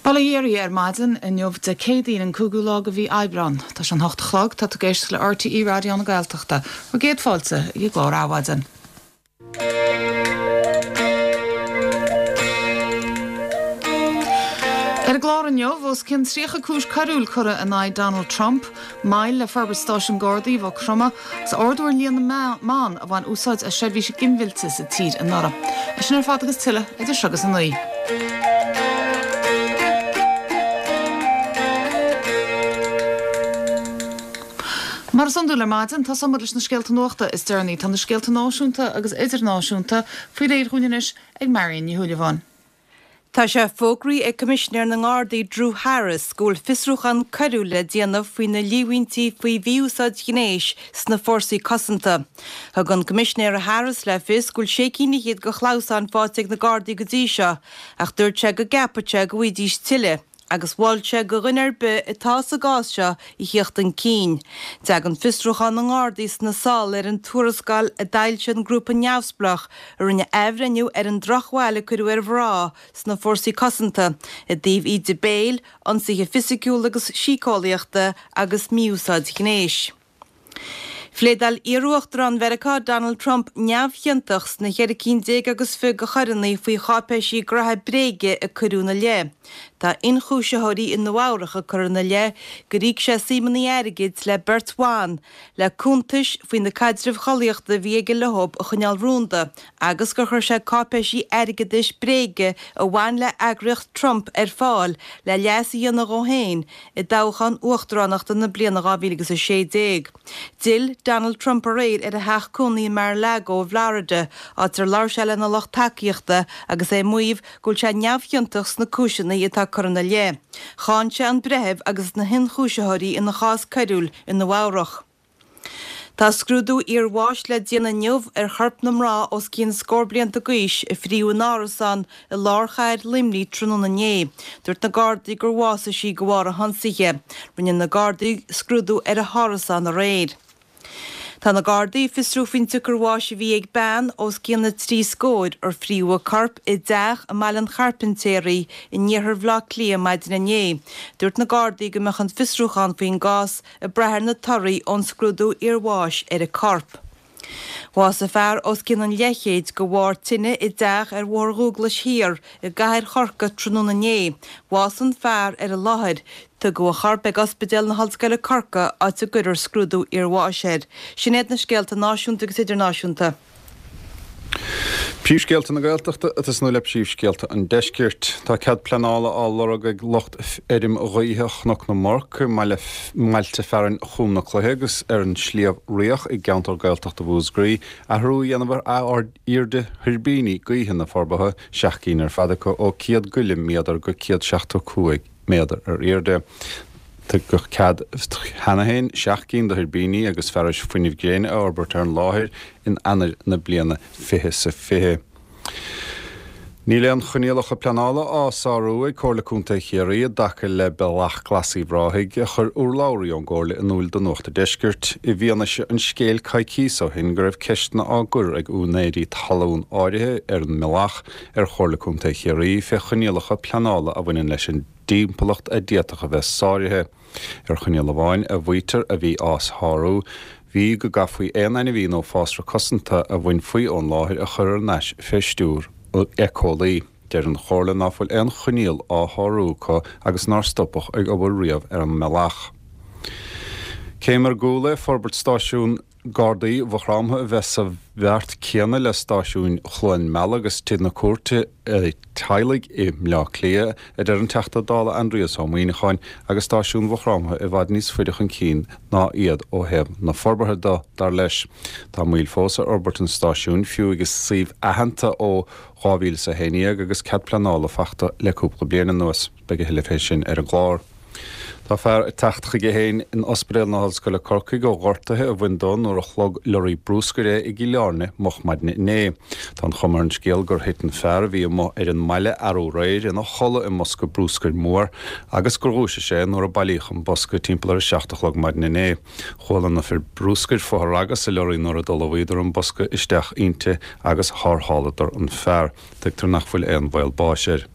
Bail ó Dhia oraibh ar maidin inniu Dé Céadaoin an 5ú lá de mhí Aibreán. Tá sé an 8 a chlog, tá tú ag éisteacht le RTÉ Raidió na Gaeltachta. Bhur gcéad fáilte ag an gclár Adhmhaidin. Ar an gclár inniu, os cionn 30 cúis coiriúil curtha in aghaidh Donald Trump, moill le forbairt stáisiún Gardaí Mhaigh Chromtha agus ardú ar líon na mban a bhain úsáid as seirbhísí ginmhillte sa tír anuraidh. É sin ar fad agus tuilleadh idir seo agus 9. Mar is iondúil ar maidin, tosóidh muid leis na scéalta nuachta is deireanaí. Tá na scéalta náisiúnta agus idirnáisiúnta faoi réir dhúinn anois ag Marion Ní Shúilleabháin. Tá sé fógraithe ag Coimisinéir na nGardaí Drew Harris go bhfuil fiosrúchán coiriúil le déanamh faoi na líomhaintí faoi mhí-úsáid ghnéis sna fórsaí cosanta. Thug an Coimisinéir Harris le fios go bhfuil sé cinn fhichead de chlamhsáin faighte ag na Gardaí go dtí seo ach dúirt sé go gceapfadh sé go bhfaighidís tuilleadh. agus mhol sé do dhuine ar bith atá sa gcás seo a thíocht chun cinn. Tagann fiosrúchán na nGardaí sna sála ar an tuarascáil a d'fhoilsigh an grúpa neamhspleách a rinne athbhreithniú ar an drochbhail a cuireadh ar mhná sna fórsaí cosanta i dtaobh íde béil, ionsaithe fisiciúla agus síceolaíochta agus mí-úsáid ghnéis. Phléadáil iarUachtarán Mheiriceá Donald Trump neamhchiontach sna cheithre cinn déag agus 20 de choireanna faoi cháipéisí graithe bréige a cuireadh ina leith. Tá ionchúisitheoirí i Nua Eabhrach ag cur ina leith gur íoc sé suimeanna airgid le beirt bhan le cuntais faoi na caidrimh chollaíochta a bhí aige leo a choinneáil rúnda agus gur chuir sé cáipéisí airgeadais bréige a bhain le heagraíocht Trump ar fáil le leas a dhéanamh dhó féin i dtoghchán uachtaránachta na bliana 2016. D'fhill Donald Trump aréir ar a theach cónaí in Mar-a-Lago i bhFlorida, áit ar labhair sé lena lucht tacaíochta agus é ag maíomh go bhfuil sé neamhchiontach sna cúiseanna atá curtha ina leith. Cháin sé an breitheamh agus na hionchúisitheoirí ina chás coiriúil i Nua Eabhrach. Tá scrúdú iarbháis le déanamh inniu ar chorp na mná os cionn scór blianta d'aois a fríodh in árasán i lár chathair Luimnigh tráthnóna inné. Dúirt na Gardaí gur bhásaigh sí de bharr an hionsaithe. Rinne na Gardaí scrúdú ar a hárasán aréir. Tá na Gardaí ag fiosrú faoin tsiocair bháis a bhí ag bean os cionn na dtrí scóir ar fríodh a corp i dteach i mBaile an Chairpintéaraí in iarthar Bhaile Átha Cliath maidin inné. Dúirt na Gardaí go mbeadh an fiosrúchán faoin gcás ag brath ar na torthaí ón scrúdú iarbháis ar an corp. Bhásaigh fear os cionn an leathchéid de bharr tine i dteach ar Bhóthar Dhúglais Thiar i gcathair Chorcaí tráthnóna inné. Bhásaigh an fear ar an láthair. Tugadh a chorp ag Ospidéal na hOllscoile Corcaigh áit a gcuirfear scrúdú iarbháis air. Sin iad na scéalta náisiúnta agus idirnáisiúnta. Príomhscéalta na Gaeltachta ag tosnú le príomhscéalta an Deiscirt. Tá cead pleanála á lorg ag lucht fheirm ghaoithe Chnoc na mBorc i mbailte fearainn Chúm na Cloiche agus ar an Sliabh Riach i gceantar Gaeltachta Mhúscraí athrú a dhéanamh ar airde thuirbíní gaoithe na forbartha, 7 gcinn ar fad acu, ó 100 go leith méadar go 175 méadar ar airde. Tugadh cead cheana féin 7 gcinn de thuirbíní agus fearais fuinnimh gréine a fhorbairt ar an láthair in Eanáir na bliana 2020. Níl aon choinníollacha pleanála á sárú ag Comhairle Contae Chiarraí i dtaca le Bealach Glas Uíbh Ráthaigh, a chuir urlabhraí ón gComhairle in iúl do Nuacht an Deiscirt, i bhfianaise an scéil coicíos ó shin go raibh ceisteanna á gcur ag úinéirí talún áirithe ar an mbealach ar Chomhairle Contae Chiarraí fé choinníollacha pleanála a bhaineann leis an dtimpeallacht a d'fhéadfadh a bheith sáraithe. Ar choinníoll amháin a mhaítear a bhí á shárú, bhí go gcaithfí aon ainmhí nó fásra cosanta a bhainfí ón láthair a chur thar n-ais fé stiúir éiceolaí. Deir an Chomhairle ná fuil aon choinníoll á shárú acu agus nár stopadh ag obair riamh ar an mbealach. Céim ar gcúl é forbairt stáisiún Gardaí Mhaigh Chromtha a bheith sa bheart céanna le stáisiúin Chluain Meala agus Tigh na Cúirte Teaghlaigh i mBleá Cliath, a deir an Teachta Dála Aindrias Ó Muíneacháin, agus stáisiún Mhaigh Chromtha i bhfad níos faide chun cinn ná iad ó thaobh na forbartha de, dar leis. Tá moill fós ar fhorbairt an stáisiúin, fiú agus suíomh aitheanta ó 2011 agus cead pleanála fachta le cúpla bliain anuas. Beidh a thuilleadh fé sin ar an gclár. Tá fear ag teacht chuige féin in Ospidéal na hOllscoile Corcaigh ó ghortuithe a bhain dó nuair a shlog lorraí brúscair é i gCill Airne moch maidne inné. Tá an chuma ar an scéal gur thit an fear a bhí amuigh ar an mbaile arú aréir ina chodladh i mbosca brúscair mór agus gur dhúisigh sé nuair a bailíodh an bosca timpeall ar a 7 a chlog maidin inné. Chuala na fir brúscair fothragadh sa lorraí nuair a d'fholmhaíodar an bosca isteach inti agus tharrtháladar an fear. Tuigtear nach bhfuil aon bhaol báis air.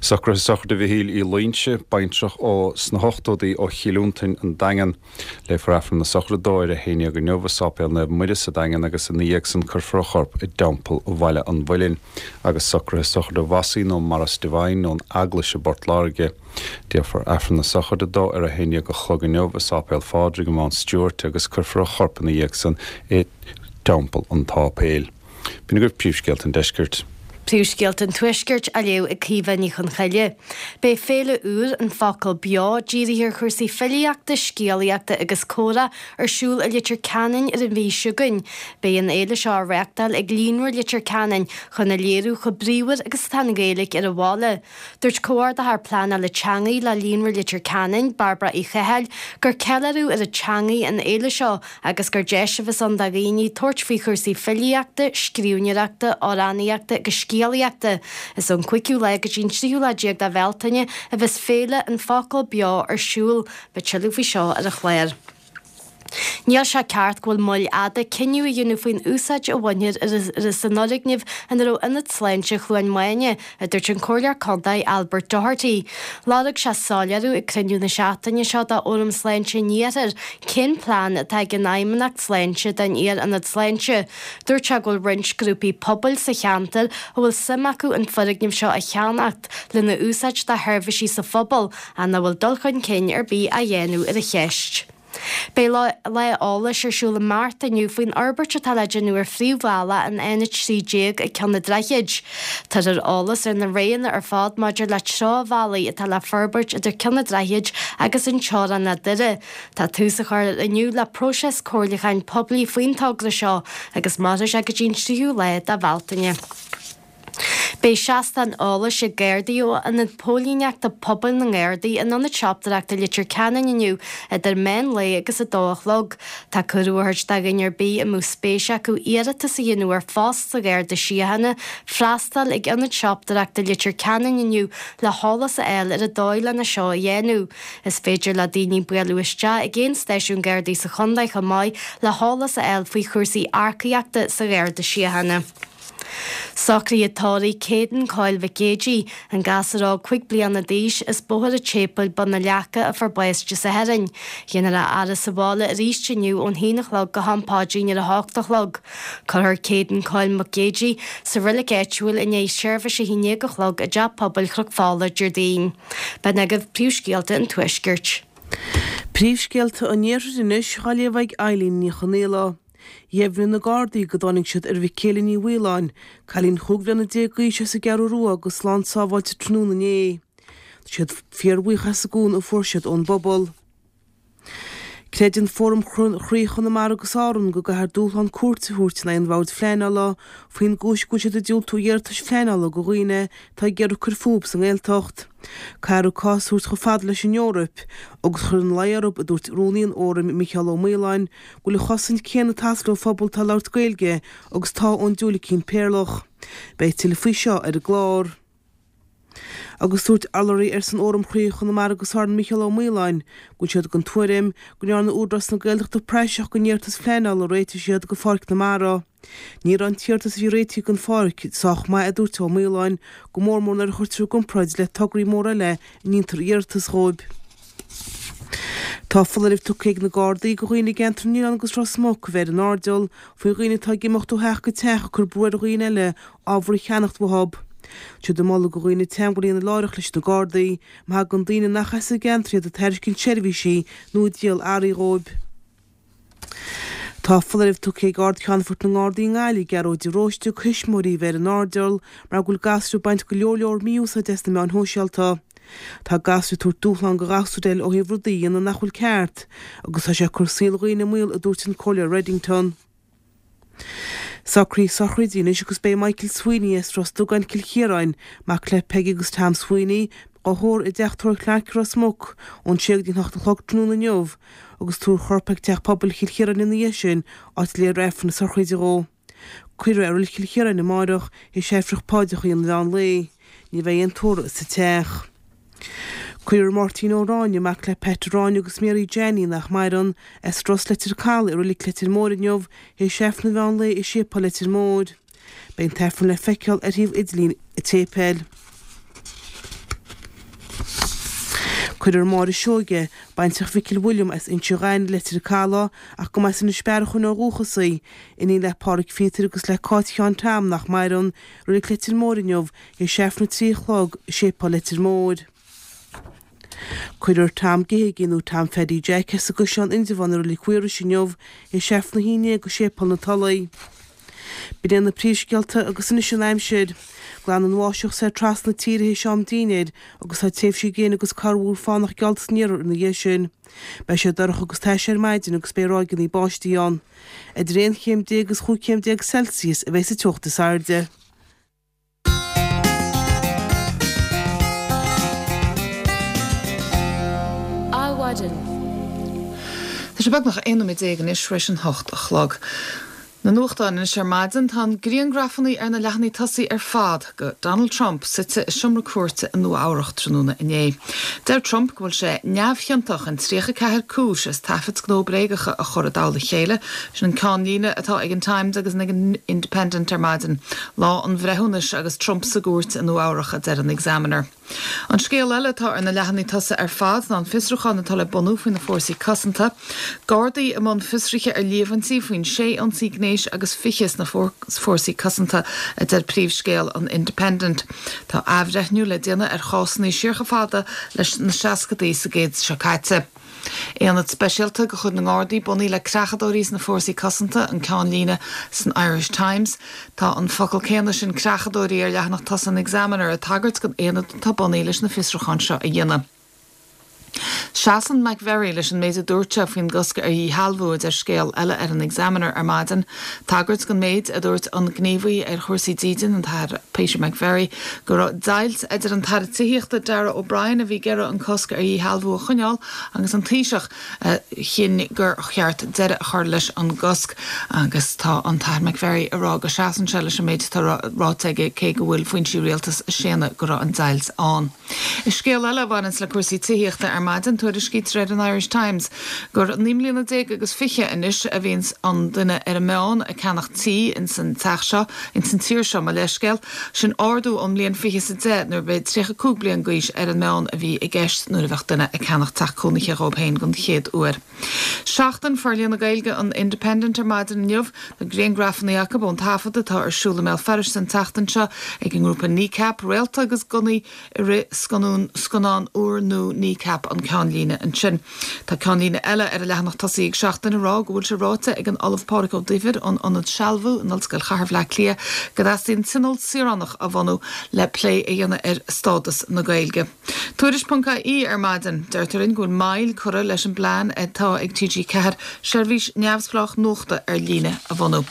Socruithe sochraide Mhichíl Uí Loingsigh, baintreach ó sna hochtódaí ó Chill Fhionntain, An Daingean. Léifear Aifreann na sochraide dó ar a haon dhéag inniu i Sáipéal Naomh Muire sa Daingean agus ina dhiaidh san cuirfear a chorp i dTeampall Bhaile an Mhuilinn agus socruithe sochraide Mhossie nó Maurice Devine ón Eaglais i bPort Láirge. Déarfar Aifreann na sochraide dó ar a haon dhéag a chlog inniu i Sáipéal Phádraig i Mount Stewart agus cuirfear a chorp ina dhiaidh san i dTeampall an tSáipéil. B'in agaibh príomhscéalta an deiscirt. Príomhscéalta an Tuaiscirt á léamh ag Caoimhe Ní Chonchoille. Beidh féile úr, An Focal Beo, dírithe ar chúrsaí filíochta, scéalaíochta agus comhrá, ar siúl i Leitir Ceanainn ar an mhí seo chugainn. Beidh an fhéile seo á reáchtáil ag Líonra Leitir Ceanainn chun a léiriú chomh bríomhar agus atá an Ghaeilge ar an bhaile. Dúirt Comhordaitheoir Pleanála Teanga le Líonra Leitir Ceanainn, Bairbre Uí Chathail, gur ceiliúradh ar an teangaidh an fhéile seo agus gur deis a bheas ann do dhaoine tabhairt faoi chúrsaí filíochta, scríbhneoireachta, amhránaíochta agus scéalaíochta. Is ón cúigiú lá go dtí an tríú lá déag de Bhealtaine a bheas Féile An Focal Beo ar siúl. Beidh tuilleadh faoi seo ar an chlár. Níl sé ceart go bhfuil moill fhada cinneadh a dhéanamh faoin úsáid a bhainfear as an fhoirgneamh ina raibh Ionad Sláinte Chluain Maine, a dúirt an Comhairleoir Contae Albert Doherty. Lorg sé soiléiriú ag cruinniú na seachtaine seo de Fhóram Sláinte an Iarthair cén plean atá ag an Fheidhmeannacht Sláinte don iar-ionad sláinte. Dúirt sé go bhfuil roinnt grúpaí pobail sa cheantar a bhfuil suim acu an foirgneamh seo a cheannacht lena úsáid do sheirbhísí sa phobal ach nach bhfuil dul chun cinn ar bith á dhéanamh ar an cheist. Beidh lá eolais ar siúl i mBearta inniu faoin fhorbairt atá le déanamh ar phríomhbhealach an N13 ag Ceann an Droichid. Tabharfar eolas ar na roghanna ar fad maidir le treo-bhealaí atá le forbairt idir Ceann an Droichid agus an teorainn le Doire. Tá tús á chur inniu le próiseas comhairliúcháin poiblí faoin togra seo agus mairfidh sé go dtí an tríú lá de Bhealtaine. Beidh seastán eolais ag Gardaí ó Ionad Póilíneachta Pobail na nGardaí in Ionad Siopadóireachta Leitir Ceanainn inniu idir meán lae agus 2 a chlog. Tá cuireadh á thabhairt do dhuine ar bith a mbeadh spéis acu iarratas a dhéanamh ar phost sa Gharda Síochána freastal ag Ionad Siopadóireachta Leitir Ceanainn inniu le heolas a fháil ar an dóigh lena seo a dhéanamh. Is féidir le daoine bualadh isteach ag aon stáisiún Gardaí sa chontae chomh maith le heolas a fháil faoi chúrsaí earcaíochta sa Gharda Síochána. Socruithe tórraimh Caden Coyle Mhic Géidigh, an gasúr óg 5 bliana d'aois as Bóthar an tSéipéil, Bun na Leaca, a fuair bás Dé Sathairn. Déanfar a fhaire sa bhaile arís inniu ón haon a chlog go ham paidrín ar a hocht a chlog. Cuirfear Caden Coyle Mac Géidigh sa reilig áitiúil i ndiaidh seirbhís a haon déag a chlog i dTeach Pobail Chnoc Fola, Déardaoin. B'in agaibh príomhscéalta an Tuaiscirt. Príomhscéalta an Iarthair anois á léamh ag Eileen Ní Chonghaile. Dheimhnigh na Gardaí go dtáinig siad ar Mhicéala Ní Mhaoláin, cailín chúig bhliana déag d'aois as an gCeathrú Rua go slán sábháilte tráthnóna inné. Tá siad fíorbhuíoch as an gcúnamh a fuair siad ón bpobal. Creideann Fóram Chroí Chonamara agus Árann go gcaithfear dúshlán cúirte a thabhairt in aghaidh an Bhoird Phleanála faoin gcúis go bhfuil siad ag diúltú iarratais phleanála do dhaoine atá ag iarraidh cur fúthu sa nGaeltacht. Caithfear an cás a thabhairt chomh fada leis an Eoraip agus cur ina luí orthu, a dúirt Rúnaí an Fhóraim, Micheál Ó Maoláin, go bhfuil an chosaint céanna ag teastáil ó phobal atá ag labhairt Gaeilge agus atá ón diúilicín péarlach. Beidh tuilleadh faoi seo ar an gclár. Agus dúirt urlabhraí ar son Fhóram Chroí Chonamara agus Árann Micheál Ó Maoláin go bhfuil siad den tuairim go ndearna Údarás na Gaeltachta praiseach den iarratas phleanála a réitigh siad do Pháirc na Mara. Ní raibh an t-iarratas a bhí réitithe don pháirc sách maith a dúirt Ó Maoláin, go mór mór nuair a chuirtear i gcomparáid le tograí móra eile a ndéantar iarratas dhóibh. Tá foláireamh tugtha ag na Gardaí do dhaoine i gceantar na nOileán agus Ros Muc a bheith ar an airdeall faoi dhaoine atá ag imeacht ó theach go teach ag cur brú ar dhaoine eile ábhar a cheannacht uathu. Tá siad ag moladh do dhaoine teagmháil a dhéanamh láithreach leis na Gardaí má thagann daoine nach as an gceantar iad ag tairiscint seirbhísí nó ag díol earraí dhóibh. Tá foláireamh tugtha ag Ard-Cheannfort na nGardaí i nGaillimh, Gearóid de Róiste, do thuismitheoirí a bheith ar an airdeall mar go bhfuil gasúir ag baint go leor leor mí-úsáide as na meáin shóisialta. Tá gasúir ag tabhairt dúshlán do ghasúir eile ó thaobh rudaí a dhéanamh nach bhfuil ceart agus tá sé ag cur saol dhaoine i mbaol, a dúirt an Comhairleoir Reddington. Socruithe sochraide anois agus beidh Michael Sweeney as Ros Dugáin, Cill Chiaráin, mac le Peggy agus Tom Sweeney, á thórramh i dTeach Tórraimh Clarke i Ros Muc ón sé go dtí an hocht a chlog tráthnóna inniu agus tabharfar a chorp ag Teach Pobail Chill Chiaráin ina dhiaidh sin, áit a léifear Aifreann na sochraide dhó. Cuirfear é i Reilig Chill Chiaráin amáireach théis Aifreann Paidreacha an mheán lae. Ní bheidh aon tórramh sa teach. Cuirfear Máirtín Ó Ráinne, mac le Pat Ó Ráinne agus Mary Jeannie, nach maireann, as Ros Leitir Calaidh i Reilig Leitir Móir inniu théis Aifreann an mheán lae i Séipéal Leitir Móir. Beidh an t-aifreann le feiceáil ar shuíomh idirlín an tséipéil. Cuirfear Máire Seoige, baintreach Mhicil William as Inse Ghainimh i Leitir Calaidh, ach go mba as Inis Bearachain ó dhúchas í, iníon le Pádhraic Phíotair agus le Cáit Sheáin Tom nach maireann, i Reilig Leitir Móir inniu, théis Aifreann 3 a chlog i Séipéal Leitir Móir. Cuirfear Tom Geoghegan nó Tom Pheaidí Jack as an gCaisleán Indreabhán i Reilig Mhaorais inniu théis Aifreann 11 i Séipéal na Tulaí. B'in iad na príomhscéalta agus anois an aimsir. Glanfaidh an bháisteach soir trasna na tíre théis am dinnéir agus tá tréimhsí gréine agus corrmhúr fánach geallta san iarthar ina dhiaidh sin. Beidh sé dorcha agus tais ar maidin agus beidh ráigeanna báistí ann. Idir 11 chéim agus 15 chéim Celsius a bheidh sa teocht is airde. Adhmhaidin. Tá sé beagnach 11 nóiméad anois tar éis an 8 a chlog. Na nuachtáin anois ar maidin, tá an griangrafannaí ar na leathanaigh tosaigh ar fad go Donald Trump suite i seomra cúirte i Nua Eabhrach tráthnóna inné. Deir Trump go bhfuil sé neamhchiontach in 34 cúis as taifid gnó bréagacha a chur i dtoll a chéile. Sin an ceannlíne atá ag an Times agus ag an Independent ar maidin. Lá an bhreithiúnais agus Trump sa gcúirt i Nua Eabhrach, a deir an Examiner. An scéal eile atá ar na leathanaigh tosaigh ar fad ná an fiosrúchán atá le bunú faoi na fórsaí cosanta. Gardaí i mbun fiosraithe ar líomhaintí faoin sé ionsaí gnéis agus 20 sna fórsaí cosanta, a deir príomhscéal an Independent. Tá athbhreithniú le déanamh ar chásanna siar chomh fada leis na seascadaí sa gcéad seo caite. Aonad speisialta de chuid na nGardaí bunaithe le creachadóirí sna Fórsaí Cosanta, an ceannlíne san Irish Times. Tá an focal céanna sin creachadóirí ar leathanach tosaigh an Examiner ag tagairt don aonad atá bunaithe leis na fiosrúcháin seo a dhéanamh. Seasann McVerry leis an méid a dúirt sé faoin gcosc ar dhíshealbhú, a deir scéal eile ar an Examiner ar maidin. Tagairt don méid a dúirt an gníomhaí ar chúrsaí dídine, an tAthair Peter McVerry, go raibh deighilt idir an tAire Tithíochta Darragh O'Brien a bhí ag iarraidh an cosc ar dhíshealbhú a choinneáil agus an Taoiseach a chinn gur cheart deireadh a chur leis an gcosc agus tá an tAthair McVerry ag rá go seasann sé leis an méid atá ráite aige cé go bhfuil foinsí rialtais ag séanadh go raibh an deighilt ann. I scéal eile a bhaineanns le cúrsaí tithíochta ar maidin, tuairiscítear ar an Irish Times gur 19 mbliana agus 20 anois a bhíonns an duine ar an meán ag ceannach tí ins an teach seo, ins an tír seo, mo leithscéal. Sin ardú ón mbliain fiche is a deich nuair b'é 35 bliain d'aois ar an meán a bhí i gceist nuair a bheadh duine ag ceannach teach cónaithe dhóib féin don chéad uair. Seachtain Forlíonadh na Gaeilge an Independent ar maidin inniu. Tá griangrafannaí acu ón taifead atá ar siúl i mBéal Feirste an tseachtain seo ag an ngrúpa Kneecap, Réalta agus Gunnaí i rith scannán scannán úrnua Kneecap an ceannlíne ansin. Tá ceannlíne eile ar an leathanach tosaigh ag Seachtain ag rá go bhfuil sé ráite ag an Ollamh Pádraig Ó Duibhir ón Ionad Sealbhú in Ollscoil Chathair Bhleá Cliath go dteastaíonn tionól saoránach a bhunú le plé a dhéanamh ar stádas na Gaeilge. Tuairisc.ie ar maidin. Deirtear linn go bhfuil moill curtha leis an bplean atá ag TG4 seirbhís neamhspleách nuachta ar líne a bhunú.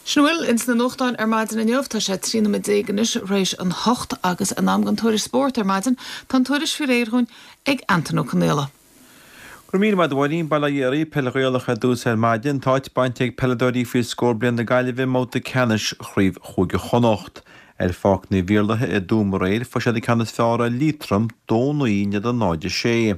Sin a bhfuil ins na nuachtáin ar maidin inniu. Tá sé 13 nóiméad anois th'réis an hocht agus in am don tuairisc spóirt ar maidin. Tá an tuairisc faoi réir dhúinn ag Antain Ó Conaola. Go raibh míle maith agat a Mháirín. Bail ó Dhia oraibh. Peil Ghaelach ar dtús ar maidin. Tá áit bainte ag peileadóirí faoi scór bliain na Gaillimhe i mbabhta ceannais Chraobh Chúige Chonnacht. Ar Pháirc Naomh Iarlaithe i dTuaim aréir fuair siad an ceann is fearr ar Liatroim, 2-9 in éadan 0-6.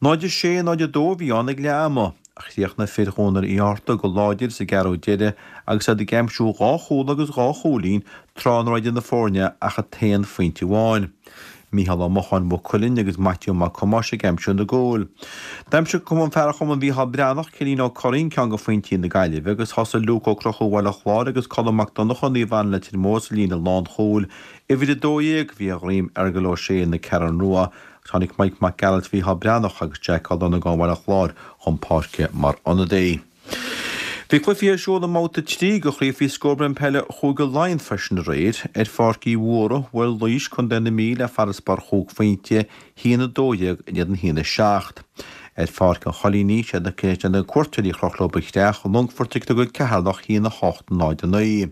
0-6, 0-2 a bhí ann ag leath ama. Chríochnaigh fir Dhónaill Uí Fhátharta go láidir sa gceathrú deiridh agus iad ag aimsiú dhá chúl agus dhá chúilín tráth nach raibh idir na foirne ach an t-aon phointe amháin. Mícheál Ó Mocháin Mhaigh Cuilinn agus Maitiú Mac Thomáis ag aimsiú na gcúl. D'aimsigh fear Chumann Mhícheál Breathnach, Cillín Ó Curraoin ceann de phointí na Gaillimhe agus thosaigh Luke Ó Conchúir Bhaile Chláir agus Colm Mac Donncha Naomh Anna Leitir Móir sa líne lánchúil. Uimhir 12 bhí ar dhroim Fheargal Ó Sé na Ceathrún Rua agus tháinig Mike Mac Gearailt Mhícheál Breathnach agus Jack Ó Longáin Bhaile Chláir chun páirce mar ionadaí. Bhí cluichí ar siúl i mbabhta 3 de Chraobh Faoi Scór Bliain Peile Chúige Laighean freisin aréir. Ar Pháirc Uí Mhórdha, bhuail Laois, Contae na Mí le farasbarr chúig phointe, 1-12 in éadan 1-7. Ar Pháirc an Choilínigh, siad na cuairteoirí a chroch leo an chreach, an Longfort ag tógáil Ceatharlach 1-8, 0-9.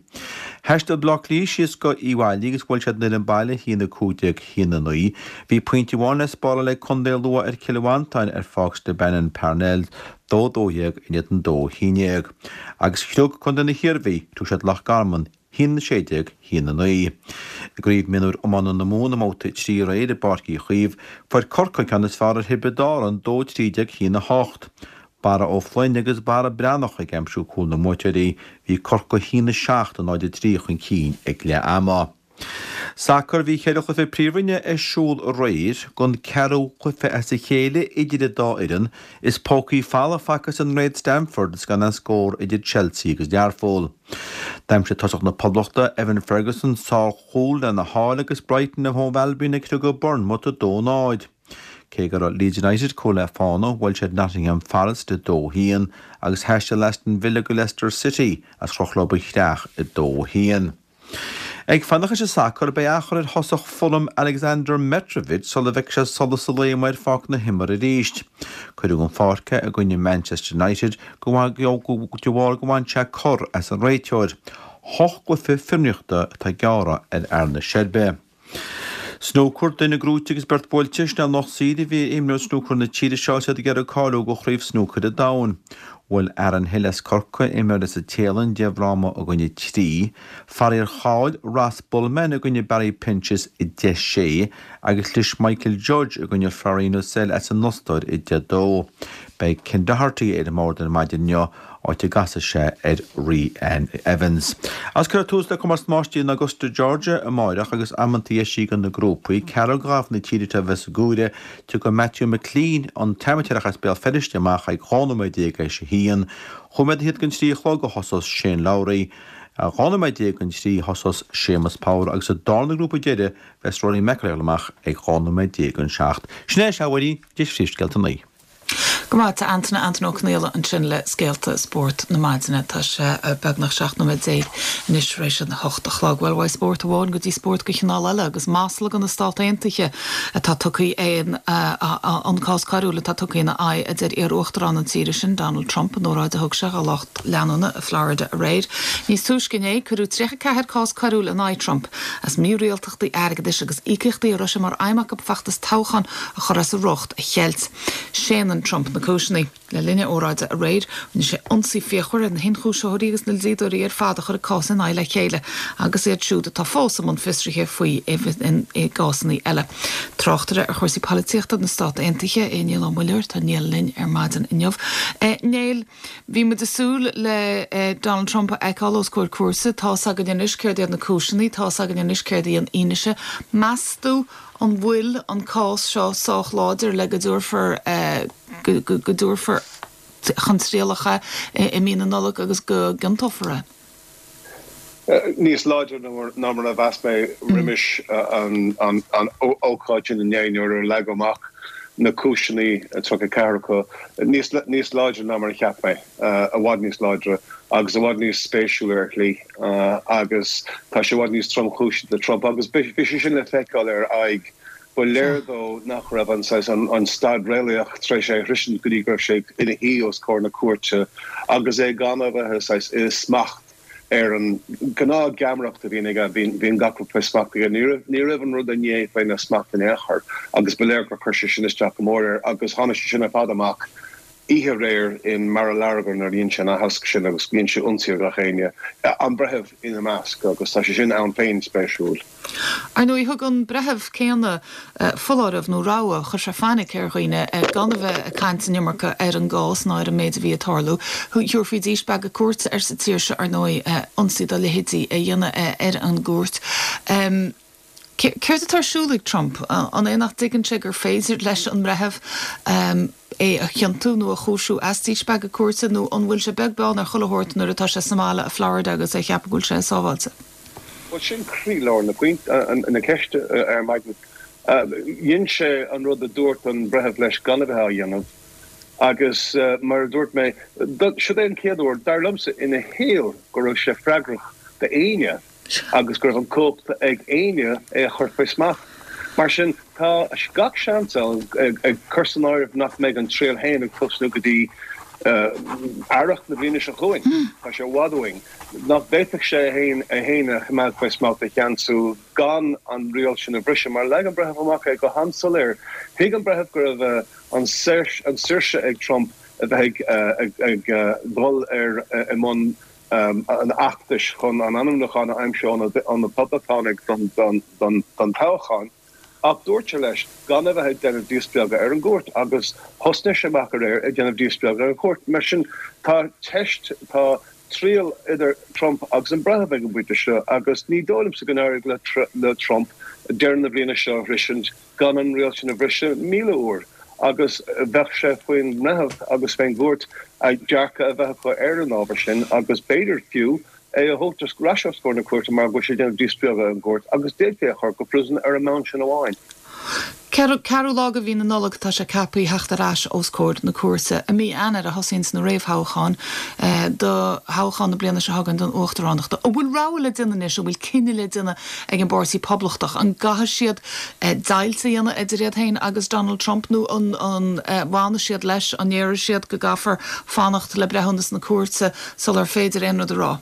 Thaistil Bleá Cliath síos go Uíbh Fhailí agus bhuail siad an fhoireann baile 1-15, 1-9. Bhí pointe amháin le spáráil ag Contae Lú ar Chill Mhantáin ar Pháirc Stabannon Parnells, 2 12 in éadan 2 11. Agus chriog Contae na hIarmhí, thug siad Loch Garman 1 16 1 9. I gCraobh Mionúir Iomána na Mumhan i mbabhta 3 aréir i bPáirc Uí Chaoimh, fuair Corcaigh an ceann is fearr ar Thiobraid Árann 2 13 1 8. Barra Ó Floinn agus Barra Breathnach ag aimsiú cúl na mbuaiteoirí, bhí Corcaigh 1 7 0 3 chun cinn ag leath ama. Sacar, Bhí cheithre chluiche Príomhroinne ar siúl aréir, don ceathrú cluiche as a chéile idir an dá fhoireann. Is pócaí folamh fagtha san Great Stamford is gan aon scór idir Chelsea agus Learpholl. D'aimsigh tosach na Poblachta, Evan Ferguson, sárchúl lena sháil agus Brighton and Hove Albion ag criogadh Bournemouth 2-0. Cé go raibh Leeds United cúl le fána, bhuail siad Nottingham Forest 2-1 agus thaistil Aston Villa go Leicester City is chroch leo an chreach 2-1. Ag fanacht leis an sacar, beidh athchur ar thosach Fulham Aleksandar Mitrovic sula bhfeicfidh sé solas an lae amuigh ar pháirc na himeartha arís. Cuireadh den pháirc é i gcoinne Manchester United de bharr go bhain sé cor as an réiteoir. Hocht gcluiche fionraíochta atá gearrtha ar fhear na Seirbe. Snúcar, Duine gnóite agus beirt buailte, sin é an lucht saoir a bhí ar imreoirí snúcair na tíre seo is iad ag iarraidh cáiliú do Chraobh Snúcair an Domhain. Bhuail Aaron Hill as Corcaigh, imreoir as an Téalainn, 10 bhfráma i gcoinne 3. Faraor chaill Ross Bulman i gcoinne Barry Pinches 10 6 agus chlis Michael Judge i gcoinne Florian Ussel as an Ostáir 10 2. Beidh Ken Doherty ar an mbord ar maidin inniu. áit a gcasfaidh sé ar Reanne Evans. Agus cuirfear tús le Comórtas Máistrí in Augusta Georgia amáireach agus amantaí eisithe do na grúpaí. Ceathrar de ghairfigh na tíre seo a bheas sa gcomhaireamh. Tiocfaidh Matthew McClean, an t-amaitéarach as Béal Feirste, amach ag 12 nóiméad théis a haon. Chúig nóiméad fhichead don trí a chlog a thosós Shane Lowry. 12 nóiméad don trí a thosós Séamus Power agus sa darna grúpa deiridh bheas Rory McIlroy amach ag 12 nóiméad don seacht. Sin é, a Mháirín, de phríomhscéalta an lae. Go maith, tá Antaine, Antaine Ó Conaola ansin le scéalta spóirt na maidine. Tá sé beagnach 17 nóiméad anois tar éis an hocht a chlog. Bhuel, uaidh spórt amháin go dtí spórt de chineál eile agus masla do na Stát Aontaithe atá tugtha in an cás coiriúil atá tugtha ina aghaidh, a deir iar-uachtarán na tíre sin, Donald Trump, in óráid a thug sé do lucht leanúna i Florida aréir. Níos túisce inné, cuireadh 34 cás coiriúil in aghaidh Trump as mírialtachtaí airgeadais agus íocaíochtaí a raibh sé mar aidhm acu feachtas toghcháin a chur as a riocht a cheilt. Séanann Trump na cúiseanna. Le linn a óráide aréir, rinne sé ionsaí fíochmhar ar na hionchúisitheoirí agus na dlíodóirí ar fad a chuir an cás ina aghaidh le chéile agus iad siúd atá fós i mbun fiosraithe faoi i gcásanna eile. Tráchtaire ar chúrsaí polaitíochta na Stát Aontaithe é Niall Ó Muilleoir. Tá Niall linn ar maidin inniu. Niall, bhí muid ag súil le Donald Trump a fheiceáil os comhair cúirte. Tá's againn anois céard iad na cúiseanna, tá's againn anois céard í an fhianaise. Meas tú An bhfuil an cás seo sách láidir le go dtabharfar go dtabharfar chun trialach é i mí na Nollag agus go gciontófar é? Níos láidre ná mar a mheas mé roimis an ócáid sin inné nuair a leagadh amach na cúiseanna, 34 acu, níos láidre ná mar a cheap mé. i bhfad níos láidre agus i bhfad níos spéisiúla ar shlí agus tá sé i bhfad níos tromchúisí do Trump agus bhí sé sin le feiceáil ar a aghaidh. Ba léir dó nach raibh an saghas, an staid réalaíoch tar éis é a shroisint go dtí go raibh sé ina shuí os comhair na cúirte agus é gan a bheith saghas i smacht ar an gnáth-gheamaireacht a bhíonn aige, bíonn gach rud faoi smacht aige. Ní raibh an rud inné faoina smacht in aon chor agus ba léir gur chuir sé sin isteach go mór air agus tháinig sé sin ar fad amach oíche aréir in Mar-a-Largo nuair a dhein sé an aitheasc sin agus dhein sé ionsaí ar gach éinne, an breitheamh ina measc, agus tá sé sin ann féin spéisiúil. Ar ndóigh, thug an breitheamh céanna foláireamh nó rabhadh, chuir sé fainic ar dhaoine gan a bheith ag caint an iomarca ar an gcás ná ar an méid a bhí ag tarlú. Thabharfaí díspeagadh cúirte air sa tír seo, ar ndóigh, ionsaí dá leithéidí a dhéanamh ar an gcúirt. Céard atá ar siúl ag Trump? An é nach dtuigeann sé gur féidir leis an mbreitheamh é a chiontú nó a chúisiú as díspeagadh cúirte nó an bhfuil sé beag beann ar chuile shórt nuair atá sé sa mbaile i Florida agus é ag ceapadh go bhfuil sé sábháilte? Bhuel, sin croílár na ceiste ar maidin. Dhein sé an rud a dúirt an breitheamh leis gan a bheith á dhéanamh agus mar a dúirt mé, siod é an chéad uair, dar liomsa, ina shaol go raibh sé freagrach d'éinne. agus go raibh an cumhacht ag éinne é a chur faoi smacht. Mar sin, tá gach seans ann, ag cur san áireamh nach mbeidh an triail féin ag tosnú go dtí earrach na bliana seo chugainn, tá sé i bhfad uainn, nach bhféadfadh sé é féin é féin a choimeád faoi smacht, a cheansú gan an riail sin a bhriseadh. Mar leag an breitheamh amach é go han-soiléir. Thuig an breitheamh go raibh an saoirse ag Trump a bheith ag dul ar i mbun an fheachtais chun an ainmniúchán a aimsiú ó na Poblachtánaigh don toghchán, ach dúirt sé leis gan a bheith ag déanamh díspeagadh ar an gcúirt agus thosnaigh sé amach aréir ag déanamh díspeagadh ar an chúirt. Mar sin, tá teist, tá. triail idir Trump agus an breitheamh ag an bpointe seo agus ní dóigh liomsa go n-éireoidh le Trump deireadh na bliana seo a shroisint gan an riail sin a bhriseadh 1,000 uair agus bheadh sé faoin mbreitheamh agus fén gcúirt a dearcadh a bheith acu ar an ábhar sin agus b'fhéidir fiú é a thabhairt ar ais os comhair na cúirte mar go bhfuil sé ag déanamh díspeagadh ar an gcúirt agus d'fhéadfaí é a chur go príosún ar an mbonn sin amháin. Ceathrú lá de mhí na Nollag atá sé ceaptha theacht ar ais os comhair na cúirte. I mí Eanáir a thosaíonns na réamhthoghcháin do thoghchán na bliana seo chugainn don uachtaránacht. An bhfuil rogha le déanamh anois, an bhfuil cinneadh le déanamh ag an bPáirtí Poblachtach? An gcaithfidh siad deighilt a dhéanamh idir iad féin agus Donald Trump nó an bhfanfaidh siad leis, an ndéarfaidh siad go gcaithfear fanacht le breithiúnas na cúirte sular féidir aon rud a rá?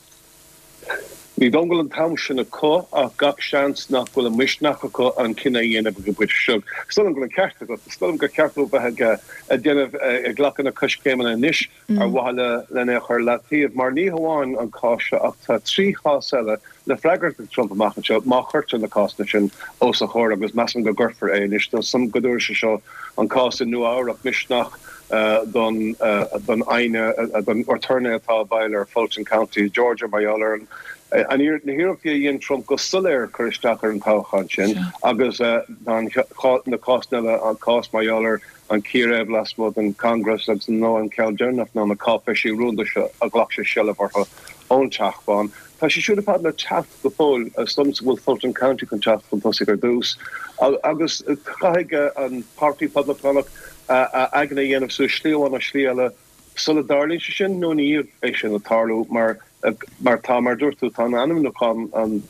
Ní dóigh liom go bhfuil an t-am sin acu ach gach seans nach bhfuil an misneach acu an cinneadh a dhéanamh ag an bpointe seo. Is dóigh liom go bhfuil an ceart agat. Is dóigh liom gur cheart dóibh bheith ag déanamh, ag glacadh na coiscéimeanna anois ar mhaithe len é a chur i leataobh mar ní hamháin an cás seo ach tá 3 chás eile le freagairt ag Trump amach anseo má chuirtear na cásanna sin os a chomhair agus measaim go gcuirfear é anois. Tá a fhios agam go dtabharfaidh sé seo an cás i Nua-Eabhrac misneach don don aighne don aturnae atá i bhfeighil ar Fulton County i Georgia mar gheall ar an na hiarrachtaí a dhein Trump go soiléir cur isteach ar an toghchán sin agus tá na cásanna eile an cás mar gheall ar an círéib lasmuigh den Congress agus nó an ceann deireanach ná na cáipéisí rúnda seo a ghlac sé seilbh orthu ón Teach Bán. Tá sé siúd ar fad le teacht go fóill. Is dóigh liomsa go bhfuil Fulton County chun teacht chun tosaigh ar dtús agus caithfidh an Páirtí Poblachtánach a aigne a dhéanamh suas slí amháin nó slí eile sula dtarlaíonn sé sin nó ina dhiaidh é sin ag tarlú mar mar tá, mar a dúirt tú, tá an ainmniúchán, an